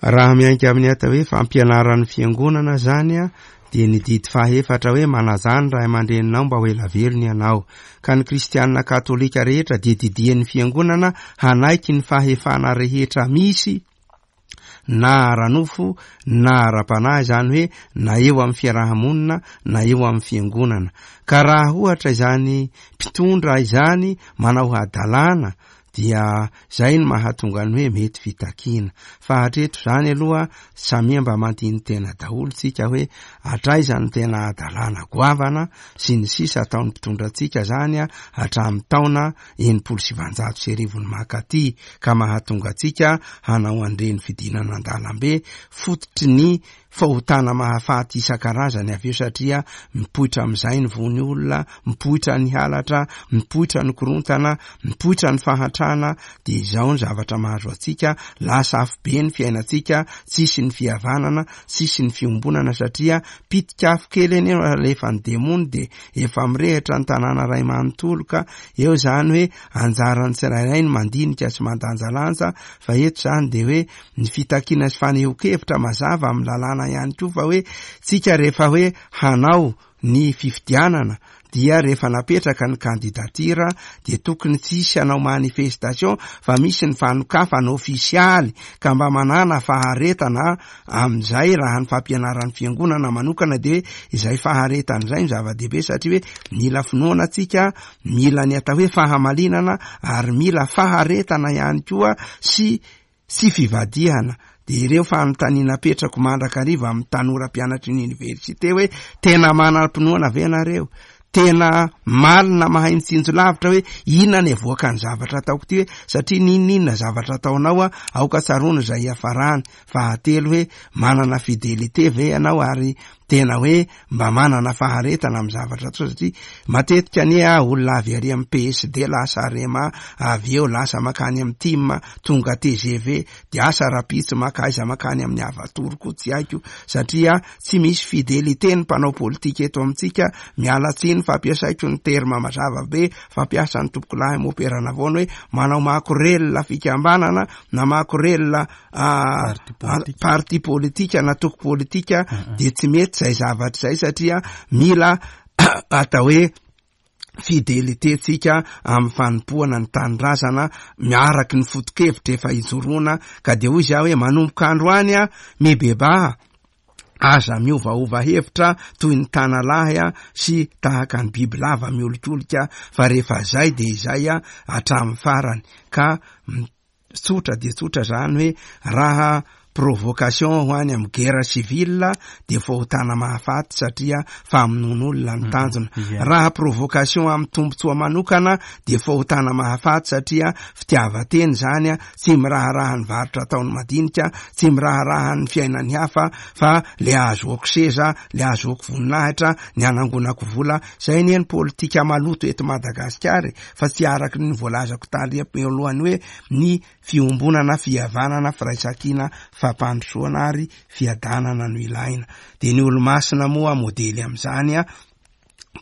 Raha miainga amin'ny atao hoe fampianaran'ny fiangonana izany dia ny didy fahaefatra hoe manajà ny ray aman-dreninao mba ho ela velona ianao. Ka ny kristianina katolika rehetra dia didian'ny fiangonana hanaiky ny fahefana rehetra misy na ara-nofo na ara-panahy izany hoe na eo amin'ny fiaraha-monina na eo amin'ny fiangonana. Ka raha ohatra izany mpitondra izany manao hadalana dia zay no mahatonga ny hoe mety fitakiana. Fa hatreto zany aloha samia mba mandini-tena daholo tsika hoe hatraiza no tena hadalana goavana sy ny sisa ataon'ny mpitondra antsika zany hatramin'ny taona 1960 ny mankaty ka mahatonga antsika hanao an'ireny fidinana an-dalambe fototry ny fahotana mahafaty isan-karazany avy eo satria mipoitra amin'izay ny vono olona, mipoitra ny halatra, mipoitra ny korontana, mipoitra ny fahantrana, dia izao ny zavatra mahazo antsika, lasa afobe ny fiainantsika, tsisy ny fihavanana, tsisy ny fiombonana satria pitika afo kely anie no alefan'ny demony dia efa mirehitra ny tanàna iray manontolo ka eo izany hoe anjaran'ny tsirairay ny mandinika sy mandanjalanja fa eto izany dia hoe ny fitakiana sy fanehoan-kevitra mazava amin'ny lalàna ihany koa fa hoe tsika rehefa hoe hanao ny fifidianana dia rehefa napetraka ny candidature dia tokony tsy hisy hanao manifestation fa misy ny fanokafana ofisialy ka mba manàna faharetana amin'izay raha ny fampianaran'ny fiangonana manokana dia hoe izay faharetana izay no zava-dehibe satria hoe mila finoana tsika mila ny atao hoe fahamalinana ary mila faharetana ihany koa sy sy fivadihana dia ireo fanontaniana apetrako mandrakariva amin'ny tanora mpianatry ny oniversite hoe tena manam-pinoana ve nareo? Tena malina mahay mitsinjo lavitra hoe inona ny avoakan'ny zavatra ataoko ity hoe satria n'inon'inona zavatra ataonao a aoka tsaroana izay hiafarany. Fahatelo hoe manana fidelité ve ianao ary tena hoe mba manana faharetana amin'ny zavatra atao satria matetika anie ah olona avy ary amin'ny PSD lasa Arema avy eo lasa makany amin'ny tim tonga TGV de asa rapitso maka aiza makany amin'ny Avatour koa tsy haiko satria tsy misy fidelité ny mpanao politika eto amintsika miala tsiny fampiasaiko ny terme mazava be fampiasan'ny tompokolahy mopera navoana hoe manao makorelina fikambanana na makorelina parti politika na toko politika de tsy mety zay zavatra zay satria mila atao hoe fidelité tsika amin'ny fanompoana ny tanindrazana miaraky ny foto-kevitra efa ijoroana ka de hoy za hoe manomboka androany a mibebaha aza miovaova hevitra toy ny tanalahy a sy tahaka ny bibilava miolikolika fa rehefa zay de izay a hatramin'ny farany ka Tsotra dia tsotra zany hoe raha provocation ho any amin'ny guerre civile dia fahotana mahafaty satria famonoan'olona ny tanjona. Raha provocation amin'ny tombontsoa manokana dia fahotana mahafaty satria fitiavan-tena izany, tsy miraharaha ny varotra ataon'ny madinika, tsy miraharaha ny fiainan'ny hafa fa le ahazoako seza, le ahazoako voninahitra, ny hanangonako vola. Izay anie ny politika maloto eto Madagasikara e. fa tsy araka ny voalazako tary alohany hoe ny fiombonana, fihavanana, firaisankina, fampandrosoana ary fiadanana no ilaina. Dia ny olomasina moa modely amin'izany a,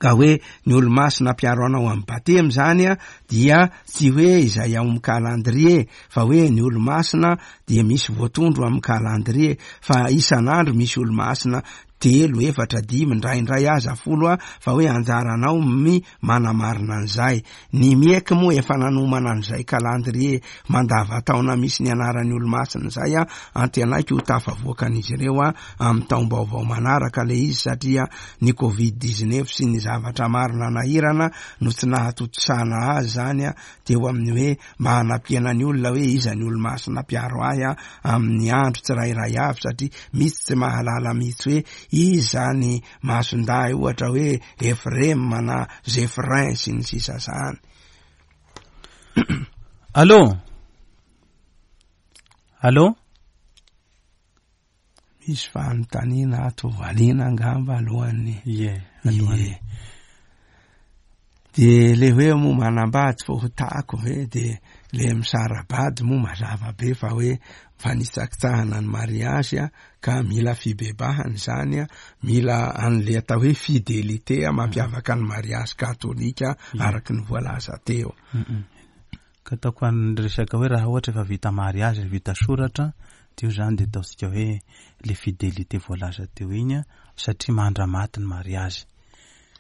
ka hoe ny olomasina mpiaro anao amin'ny batemy izany a, dia tsy hoe izay ao amin'ny calendrier fa hoe ny olomasina dia misy voatondro amin'ny calendrier fa isan'andro misy olomasina telo, efatra, dimy, indraindray aza folo a, fa hoe anjaranao my manamarina an'izay. Ny MIEC moa efa nanomana an'izay calendrier mandavataona misy ny anaran'ny olomasina izay a, antenaiko ho tafavoakan'izy ireo a amin'ny taom-baovao manaraka ilay izy satria ny covid 19 sy ny zavatra maro nanahirana no tsy nahatontosana azy izany a, teo amin'ny hoe mba hanampiana ny olona hoe iza ny olomasina mpiaro ahy amin'ny andro tsirairay avy satria misy tsy mahalala mihitsy hoe iza ny masindahy ohatra hoe Efrem na Zephyrin sy ny sisa zany. Allô? Allô? Misy fanontaniana ato valiana angamba alohan'ny. Ie, alohan'ny. Ie. De le hoe moa manambady fahotako ve de le misara-bady moa mazava be fa hoe fanitsakitsahana ny mariazy a, ka mila fibebahana izany a, mila an'le atao hoe fidélité a, mampiavaka ny mariazy katolika araky ny voalaza teo. Ka ataoko an'ny resaka hoe raha ohatra efa vita mariazy, vita soratra, de io zany de ataontsika hoe le fidélité voalaza teo iny a, satria mandramaty ny mariazy.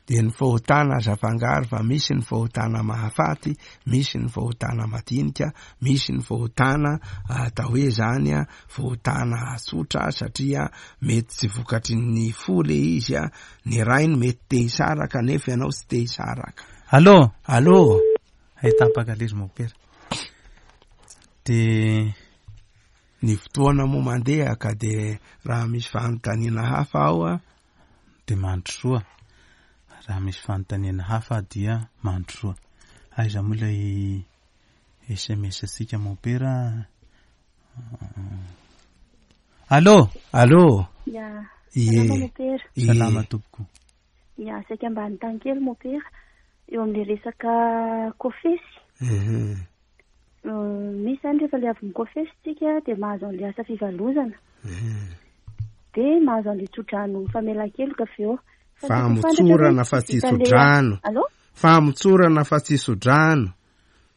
De ny fahotana aza afangaro fa misy ny fahotana mahafaty, misy ny fahotana madinika, misy ny fahotana atao hoe zany a, fahotana tsotra satria mety tsy vokatry ny fo le izy a, ny rainy mety te hisaraka nefa ianao tsy te hisaraka. Allô? Allô? Hay tapaka le izy mopera. De ny fotoana moa mandeha ka de raha misy fanontaniana hafa ao a, de mandrosoa. Raha misy fanontaniana hafa dia mandrosoa. Aiza moa ilay SMS antsika mopera? Allô? Allô? Ya. Ie. Salama mopera. Ie. Salama tompoko. Ya, saika mba hanontany kely mopera eo amin'ilay resaka kofesy. Misy zany rehefa le avy mikofesy tsika dia mahazo an'ilay asa fivalozana. Dia mahazo an'ilay tsodrano famelan-keloka avy eo. Fa ny tiako ho fantatra hoe Famotsorana fa tsy vita an'ilay- tsodrano. Allô? Famotsorana fa tsy tsodrano.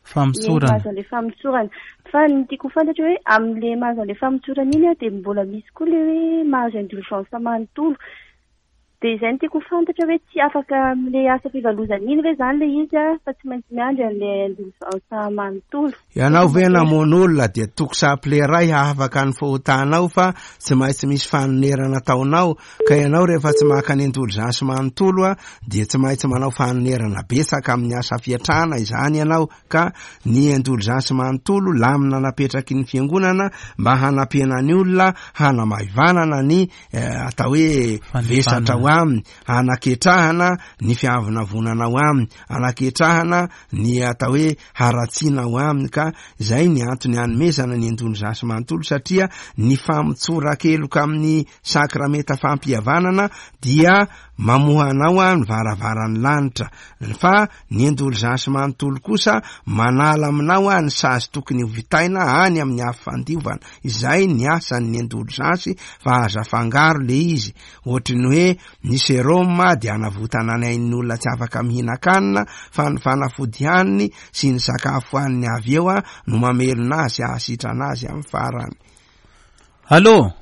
Famotsorana. Ie, mahazo an'ilay famotsorana. Fa ny tiako ho fantatra hoe amin'ilay mahazo an'ilay famotsorana iny a, dia mbola misy koa ilay hoe mahazo indulgence manontolo. Dia izay no tiako ho fantatra hoe tsy afaka amin'ilay asa fivalozana iny ve izany ilay izy a, fa tsy maintsy miandry an'ilay indulgence manontolo. Ianao ve namono olona dia toko saple iray hahafaka ny fahotanao fa tsy maintsy misy fanonerana ataonao, ka ianao rehefa tsy maka ny indulgence manontolo a, dia tsy maintsy manao fanonerana betsaka amin'ny asa fiatrana izany ianao, ka ny indulgence manontolo lamina napetraky ny fiangonana mba hanampiana ny olona hanamaivanana ny atao hoe vesatra ho aminy, hanaketrahana ny fiavonavonana ho aminy, hanaketrahana ny atao hoe haratsiana ho aminy, ka izay ny antony hanomezana ny indulgence manontolo, satria ny famotsoran-keloka amin'ny sakramenta fampihavanana dia mamoha anao ny varavaran'ny lanitra, fa ny indulgence manontolo kosa manala aminao ny sazy tokony ho vitaina any amin'ny afo fandiovana. Izay ny asan'ny indulgence fa aza afangaro le izy, ohatry ny hoe ny serum dia hanavotana ny ain'ny olona tsy afaka mihinan-kanina fa ny fanafody haniny sy ny sakafo haniny avy eo no mamelona azy sy hahasitrana azy amin'ny farany. Allô?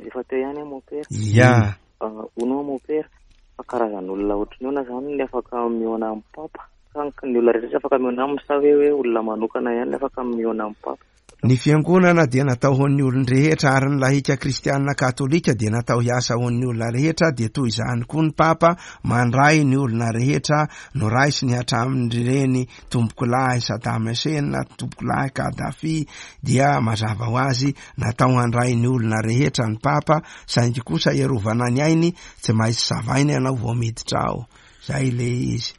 Efa teo ihany aho mon père. Ya. Hono aho mon père, fa karazan'olona ohatry ny ahoana izany ny afaka mihaona amin'ny papa? Sa ny olona rehetra tsy afaka mihaona aminy sa hoe olona manokana ihany ny afaka mihaona amin'ny papa? Ny fiangonana dia natao ho an'ny olon-drehetra ary ny lahika kristianina katolika dia natao hiasa ho an'ny olona rehetra, dia toy izany koa ny Papa mandray ny olona rehetra noraisiny hatramin'ireny tompokolahy Saddam Hussein, tompokolahy Kadhafi, dia mazava ho azy natao handray ny olona rehetra ny Papa, saingy kosa hiarovana ny ainy tsy maintsy savaina ianao vao miditra ao, zay le izy.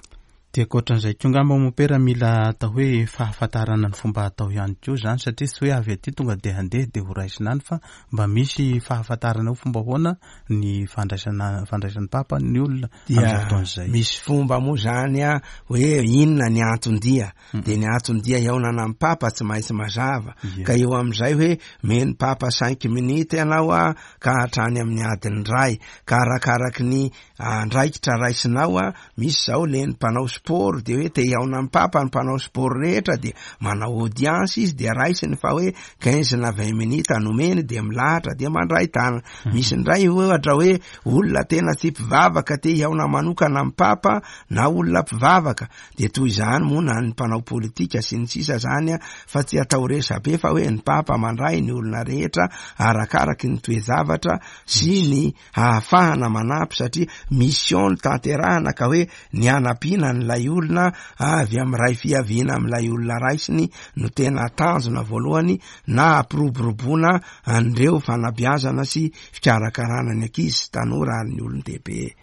Dia ankoatran'izay koa angamba mompera mila atao hoe fahafantarana ny fomba atao ihany koa izany satria tsy hoe avy aty tonga dia handeha dia ho raisina any fa mba misy fahafantarana hoe fomba ahoana ny fandraisana fandraisan'ny papa ny olona Dia amin'izay fotoana izay. misy fomba moa izany a, hoe inona ny anton-dia, dia ny anton-dia hihaonana amin'ny papa tsy maintsy mazava, ka eo amin'izay hoe meny papa cinq minutes ianao a, ka hatrany amin'ny adiny iray, ka arakaraky ny andraikitra raisinao a, misy zao le ny mpanao sport de hoe te hihaona amin'ny papa ny mpanao sport rehetra de manao audience izy de raisiny fa hoe 15 na 20 minutes nomeny de milahatra de mandray tanana. Misy indray ohatra hoe olona tena tsy mpivavaka te hihaona manokana amin'ny papa na olona mpivavaka de toy izany moa na ny mpanao politika sy ny sisa zany a, fa tsy atao resabe fa hoe ny papa mandray ny olona rehetra arakaraky ny toe-javatra sy ny hahafahana manampy satria mission no tanterahana ka hoe ny hanampiana an'ilay olona avy amin'ny ray fiaviana amin'ilay olona raisiny no tena tanjona voalohany na hampiroboroboana an'ireo fanabeazana sy fikarakarana ny ankizy sy tanora ary ny olon-dehibe.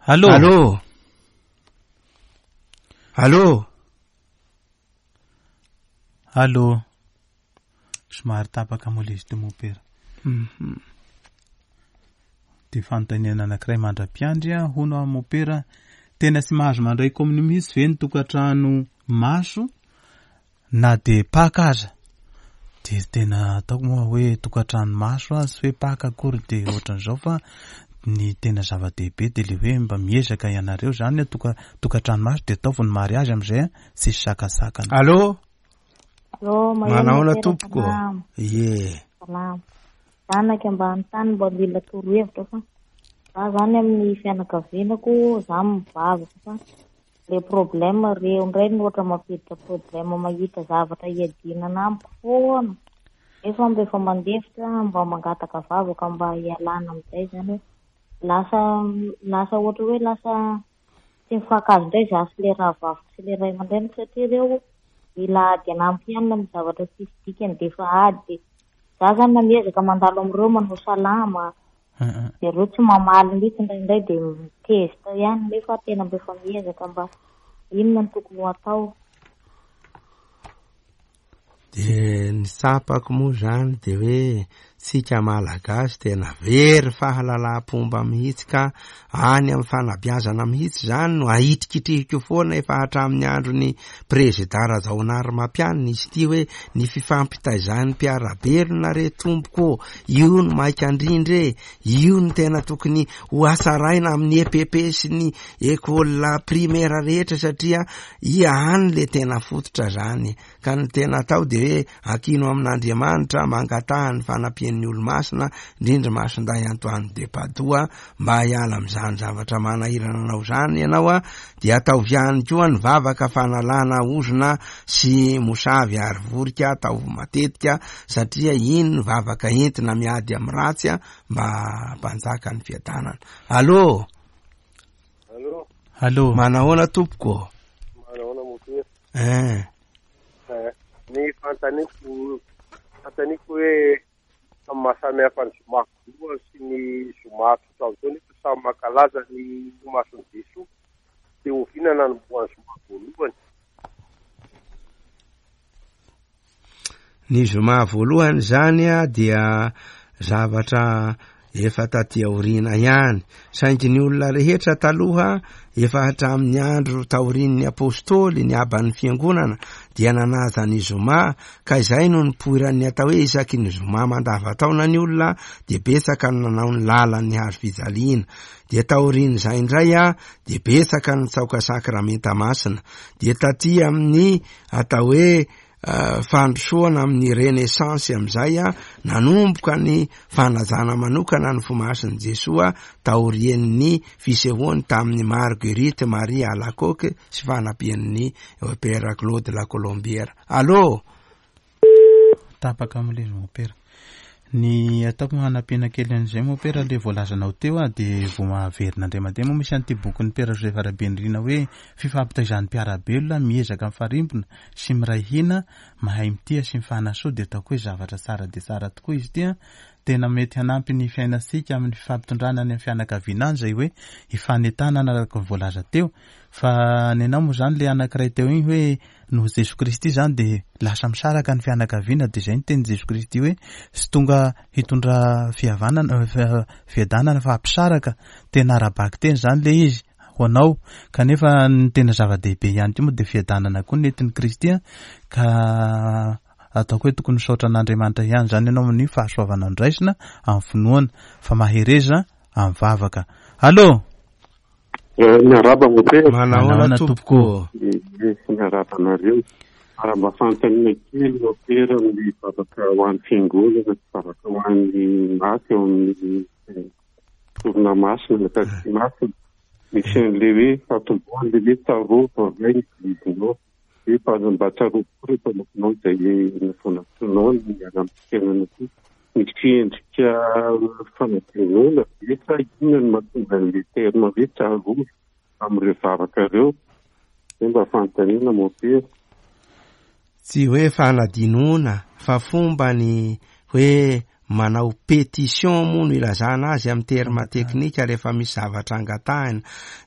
Allô? Allô? Allô? Allô? Somary tapaka moa ilay izy teo mompera. Dia fanontaniana anankiray mandra-piandry a, hono aho mopera, tena tsy mahazo mandray komonio mihitsy ve ny tokantrano maso na dia paka aza? Dia tena ataoko moa hoe tokantrano maso a, tsy hoe paka akory dia ohatran'izao fa ny tena zava-dehibe dia le hoe mba miezaka ianareo zany a, tokantrano maso dia ataovy ny mariazy amin'izay a, tsisy sakasakana. Allô? Allô, maheno Manahoana mopera, tompoko? salama. Ie. Salama. Zanaka ambany tany mba mila torohevitra fa za zany amin'ny fianakavianako za mivavaka fa le problème reo indray no ohatra mampiditra problème mahita zavatra hiadinana amiko foana. Nefa mba efa mandefitra mba mangataka vavaka mba hialana amin'izay zany hoe lasa lasa ohatra hoe lasa tsy mifankahazo indray za sy le rahavaviko sy le ray aman-dreniko satria reo mila ady anamiko ihany amin'ny zavatra tsisy dikany dia efa ady. Za zany na miezaka mandalo amin'ireo manao salama, dia ireo tsy mamaly mihitsy indraindray dia mitezitra ihany nefa tena mba efa miezaka mba inona no tokony ho atao. Dia ny tsapako moa izany dia hoe tsika Malagasy tena very fahalalam-pomba mihitsy ka any amin'ny fanabeazana mihitsy izany no ahitrikitrihiko foana efa hatramin'ny andron'ny Prezida Rajaonarimampianina izy ity hoe ny fifampitaizan'ny mpiara-belona re tompoko ô, io no maika indrindra e, io no tena tokony ho hatsaraina amin'ny EPP sy ny école primaire rehetra satria ia any le tena fototra zany. Ka ny tena atao dia hoe ankino amin'Andriamanitra, mangataha ny fanampian'ny olo-masina, indrindra Masindahy Antoine de Padoue, mba hiala amin'izany zavatra manahirana anao izany ianao, dia ataovy ihany koa ny vavaka fanalana ozona sy mosavy ary vorika, ataovy matetika, satria iny no vavaka entina miady amin'ny ratsy mba hampanjaka ny fiadanana. Allô? Allô? Allô? Manahoana tompoko? Manahoana mompera? Eh. Eh, ny fanontaniako, fanontaniako hoe samy mahasamy hafa ny zoma voalohany sy ny zoma tsotra amin'izao nefa samy mankalaza ny mason'i Jesoa. Dia oviana nanombohan'ny zoma voalohany? Ny zoma voalohany izany dia zavatra efa taty aoriana ihany, saingy ny olona rehetra taloha efa hatramin'ny andro taorian'ny apostoly, ny aban'ny fiangonana dia nanaja ny zoma, ka izay no nipoiran'ny atao hoe isaky ny zoma mandava-taona ny olona dia betsaka ny nanao ny lalan'ny hazo fijaliana. Dia taorian'izay indray dia betsaka ny nitsaoka sakramenta masina. Dia taty amin'ny atao hoe fandrosoana amin'ny renaissance amin'izay nanomboka ny fanajana manokana ny fomasin'i Jesoa taorian'ny fisehoany tamin'ny Marguerite Marie Alacoque sy fanampian'ny Père Claude La Colombière. Allô? Tapaka amin'ilay izy mompera. Ny ataoko hanampiana kely an'izay mompera le voalazanao teo a dia vao mahaverina indray mandeha moa misy an'ity bokin'ny Père Joseph Rabenirina hoe fifampitaizan'ny mpiara-belona miezaka mifarimbona sy miray hina mahay mitia sy mifanasoa dia ataoko hoe zavatra tsara dia tsara tokoa izy ity a tena mety hanampy ny fiainantsika amin'ny fifampitondrana any amin'ny fianakaviana any izay hoe hifanentanana araka ny voalaza teo fa ny anao moa izany le anankiray teo iny hoe Noho Jesoa Kristy izany dia lasa misaraka ny fianakaviana dia izay ny tenin'i Jesoa Kristy hoe tsy tonga hitondra fihavanana fiadanana fa hampisaraka, tena ara-bakiteny izany ilay izy ho anao kanefa ny tena zava-dehibe ihany koa moa dia fiadanana koa ny nentin'i Kristy ka ataoko hoe tokony misaotra an'Andriamanitra ihany izany ianao amin'ny fahasoavana noraisina amin'ny finoana fa mahereza amin'ny vavaka. Allô? Miarahaba Mopera. Manahoana tompoko. Miarahaba anareo. Ary mba fanontaniana kely Mopera amin'ny vavaka ho an'ny fiangonana sy vavaka ho an'ny maty ao amin'ny sorona masina, ny Eokaristia masina. Misy an'ilay hoe fatombohana ilay hoe tsarovy ray ny Eglizinao. Hoe mba mba tsarovy koa ireo mpanomponao izay navonatsonao ny miala amin'ny fiainana ity. Misy endrika fanadinoana ve sa inona no mahatonga an'ilay terme hoe tsarovy amin'ireo vavaka ireo? Izay mba fanontaniana mompera. Tsy hoe fanadinoana fa fomba ny hoe. manao pétition moa no ilazana azy amin'ny terme teknika rehefa misy zavatra angatahina.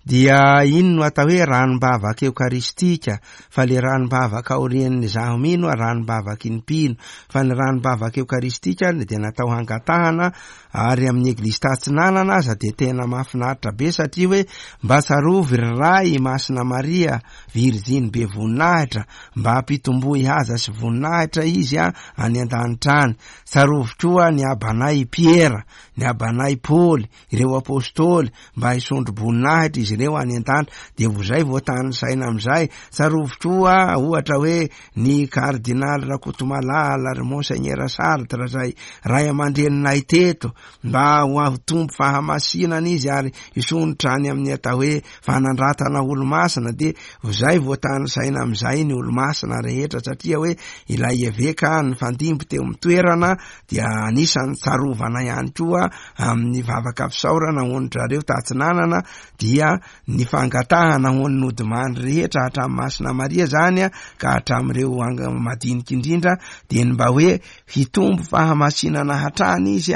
Dia iny no atao hoe ranom-bavaka eokaristika, fa le ranom-bavaka aorian'ny izaho mino ranom-bavaky ny mpino, fa ny ranom-bavaka eokaristika dia natao hangatahana. Ary amin'ny Eglizy Tatsinanana aza dia tena mahafinaritra be satria hoe mba tsarovy ry Ray i Masina Maria Virjiny be voninahitra mba hampitomboy haja sy voninahitra izy any an-danitra any. Tsarovy koa ny abanay Piera, ny abanay Paoly, ireo Apostoly mba hisondro-boninahitra izy ireo any an-danitra. Dia ho izay vao tanisaina amin'izay. Tsarovy koa ohatra hoe ny Kardinaly Rakotomalala, ry Monseigneur Sartre izay ray aman-dreninay teto, mba ho aho tompo fahamasinana izy ary hisondrotra any amin'ny atao hoe fanandratana olomasina, dia izay vao tanisaina amin'izay ny olomasina rehetra, satria hoe ilay eveka nifandimby teo amin'ny toerana dia anisan'ny tsarovana ihany koa amin'ny vavaka fisaorana ho an-dry zareo tatsinanana, dia ny fangatahana ho an'ny nodimandry rehetra hatramin'i Masina Maria zany ka hatramin'ireo madinika indrindra dia ny mba hoe hitombo fahamasinana hatrany izy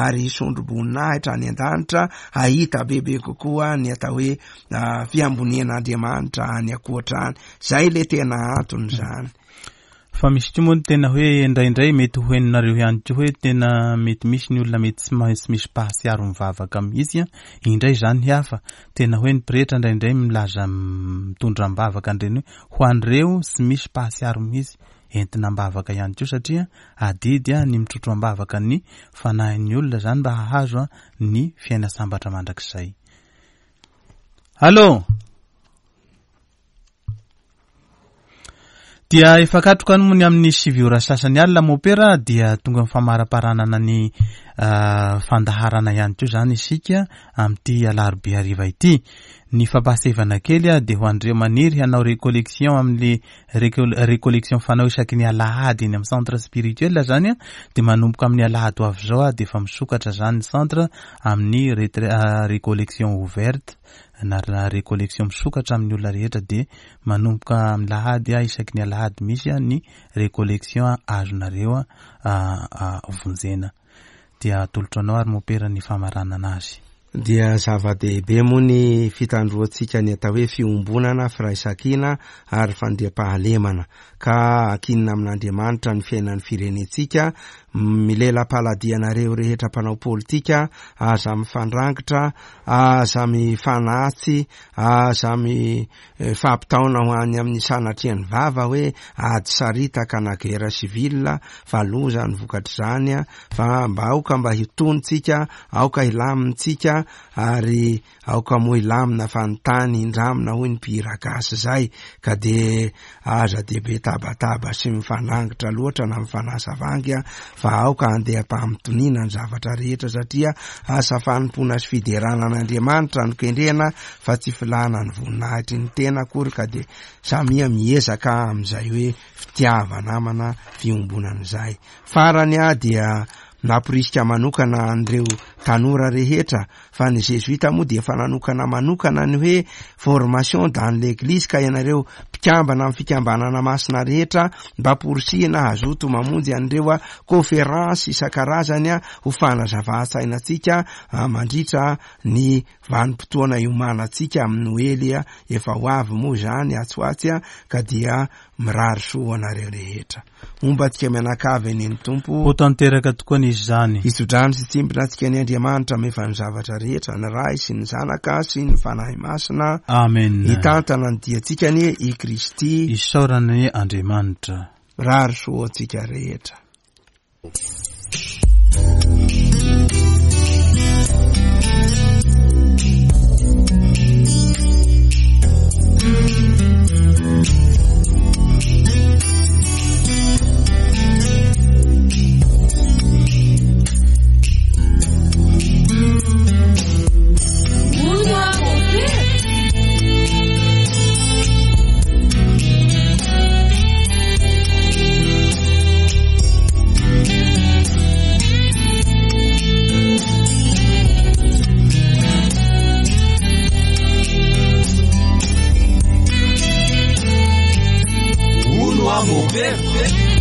ary hisondro-boninahitra any an-danitra, hahita bebe kokoa ny atao hoe fiambonian'Andriamanitra any ankoatra any. Zay le tena antony zany. Fa misy koa moa ny tena hoe indraindray mety ho henonareo ihany koa hoe tena mety misy ny olona mety tsy maintsy misy mpahatsiaro mivavaka mihitsy an, indray izany hafa, tena hoe ny pretra indraindray milaza mitondra am-bavaka an'ireny hoe ho an'ireo tsy misy mpahatsiaro mihitsy, entina am-bavaka ihany koa satria adidy ny mitrotro am-bavaka ny fanahin'ny olona izany mba hahazo ny fiaina sambatra mandrakizay. Allô? Dia efa katroka any moa ny amin'ny 9 ora sasany alina mopera dia tonga amin'ny famaraparanana ny fandaharana ihany koa izany isika amin'ity alarobia hariva ity. Ny fampahasevana kely dia ho an'ireo maniry hanao recollection amin'ny recollection fanao isaky ny alahady eny amin'ny centre spirituel izany dia manomboka amin'ny alahady ho avy izao dia efa misokatra izany ny centre amin'ny recollection ouverte na recollection misokatra amin'ny olona rehetra dia manomboka amin'ny lahady isaky ny alahady misy ny recollection azonareo vonjena dia atolotro anao ary mopera ny famaranana azy. Dia zava-dehibe moa ny fitandroantsika ny atao hoe fiombonana, firaisankina ary fandriampahalemana ka ankinina amin'Andriamanitra ny fiainan'ny firenentsika. Milela-paladia anareo rehetra mpanao politika, aza mifandrangitra, aza mifanatsy, aza mifampitaona ho any amin'ny sanatrian'ny vava hoe ady saritaka na guerre civile fa loza ny vokatr'izany fa mba aoka mba hitony tsika, aoka hilamintsika ary Aoka moa hilamina fa ny tany hindramina hoy ny mpihira gasy zay ka de aza de be tabataba sy mifanangitra loatra na mifanasa vangy a fa aoka handeha am-pamitoniana ny zavatra rehetra satria asa fanompoana sy fiderana an'Andriamanitra no kendrena fa tsy filana ny voninahitry ny tena akory ka de samia miezaka amin'izay hoe fitiava-namana fiombonana izay. Farany aho dia namporisika manokana an'ireo tanora rehetra fa ny Zezoita moa dia efa nanokana manokana ny hoe formation dans l'église ka ianareo mpikambana amin'ny fikambanana masina rehetra mba porisihina hazoto mamonjy an'ireo conférence isan-karazany ho fanazavan-tsaina antsika mandritra ny vanim-potoana iomanantsika amin'ny Noely efa ho avy moa izany atsy ho atsy ka dia Mirary soa ho anareo rehetra. Homba antsika mianakavy anie ny Tompo. Ho tanteraka tokoa anie izany. Hitsodrano sy hitsimbina antsika anie Andriamanitra mahefa ny zavatra rehetra, ny Ray sy ny Zanaka sy ny Fanahy Masina. Amen. Hitantana ny diantsika anie i Kristy. Isaorana anie Andriamanitra. Mirary soa ho antsika rehetra. Hono aho mopera.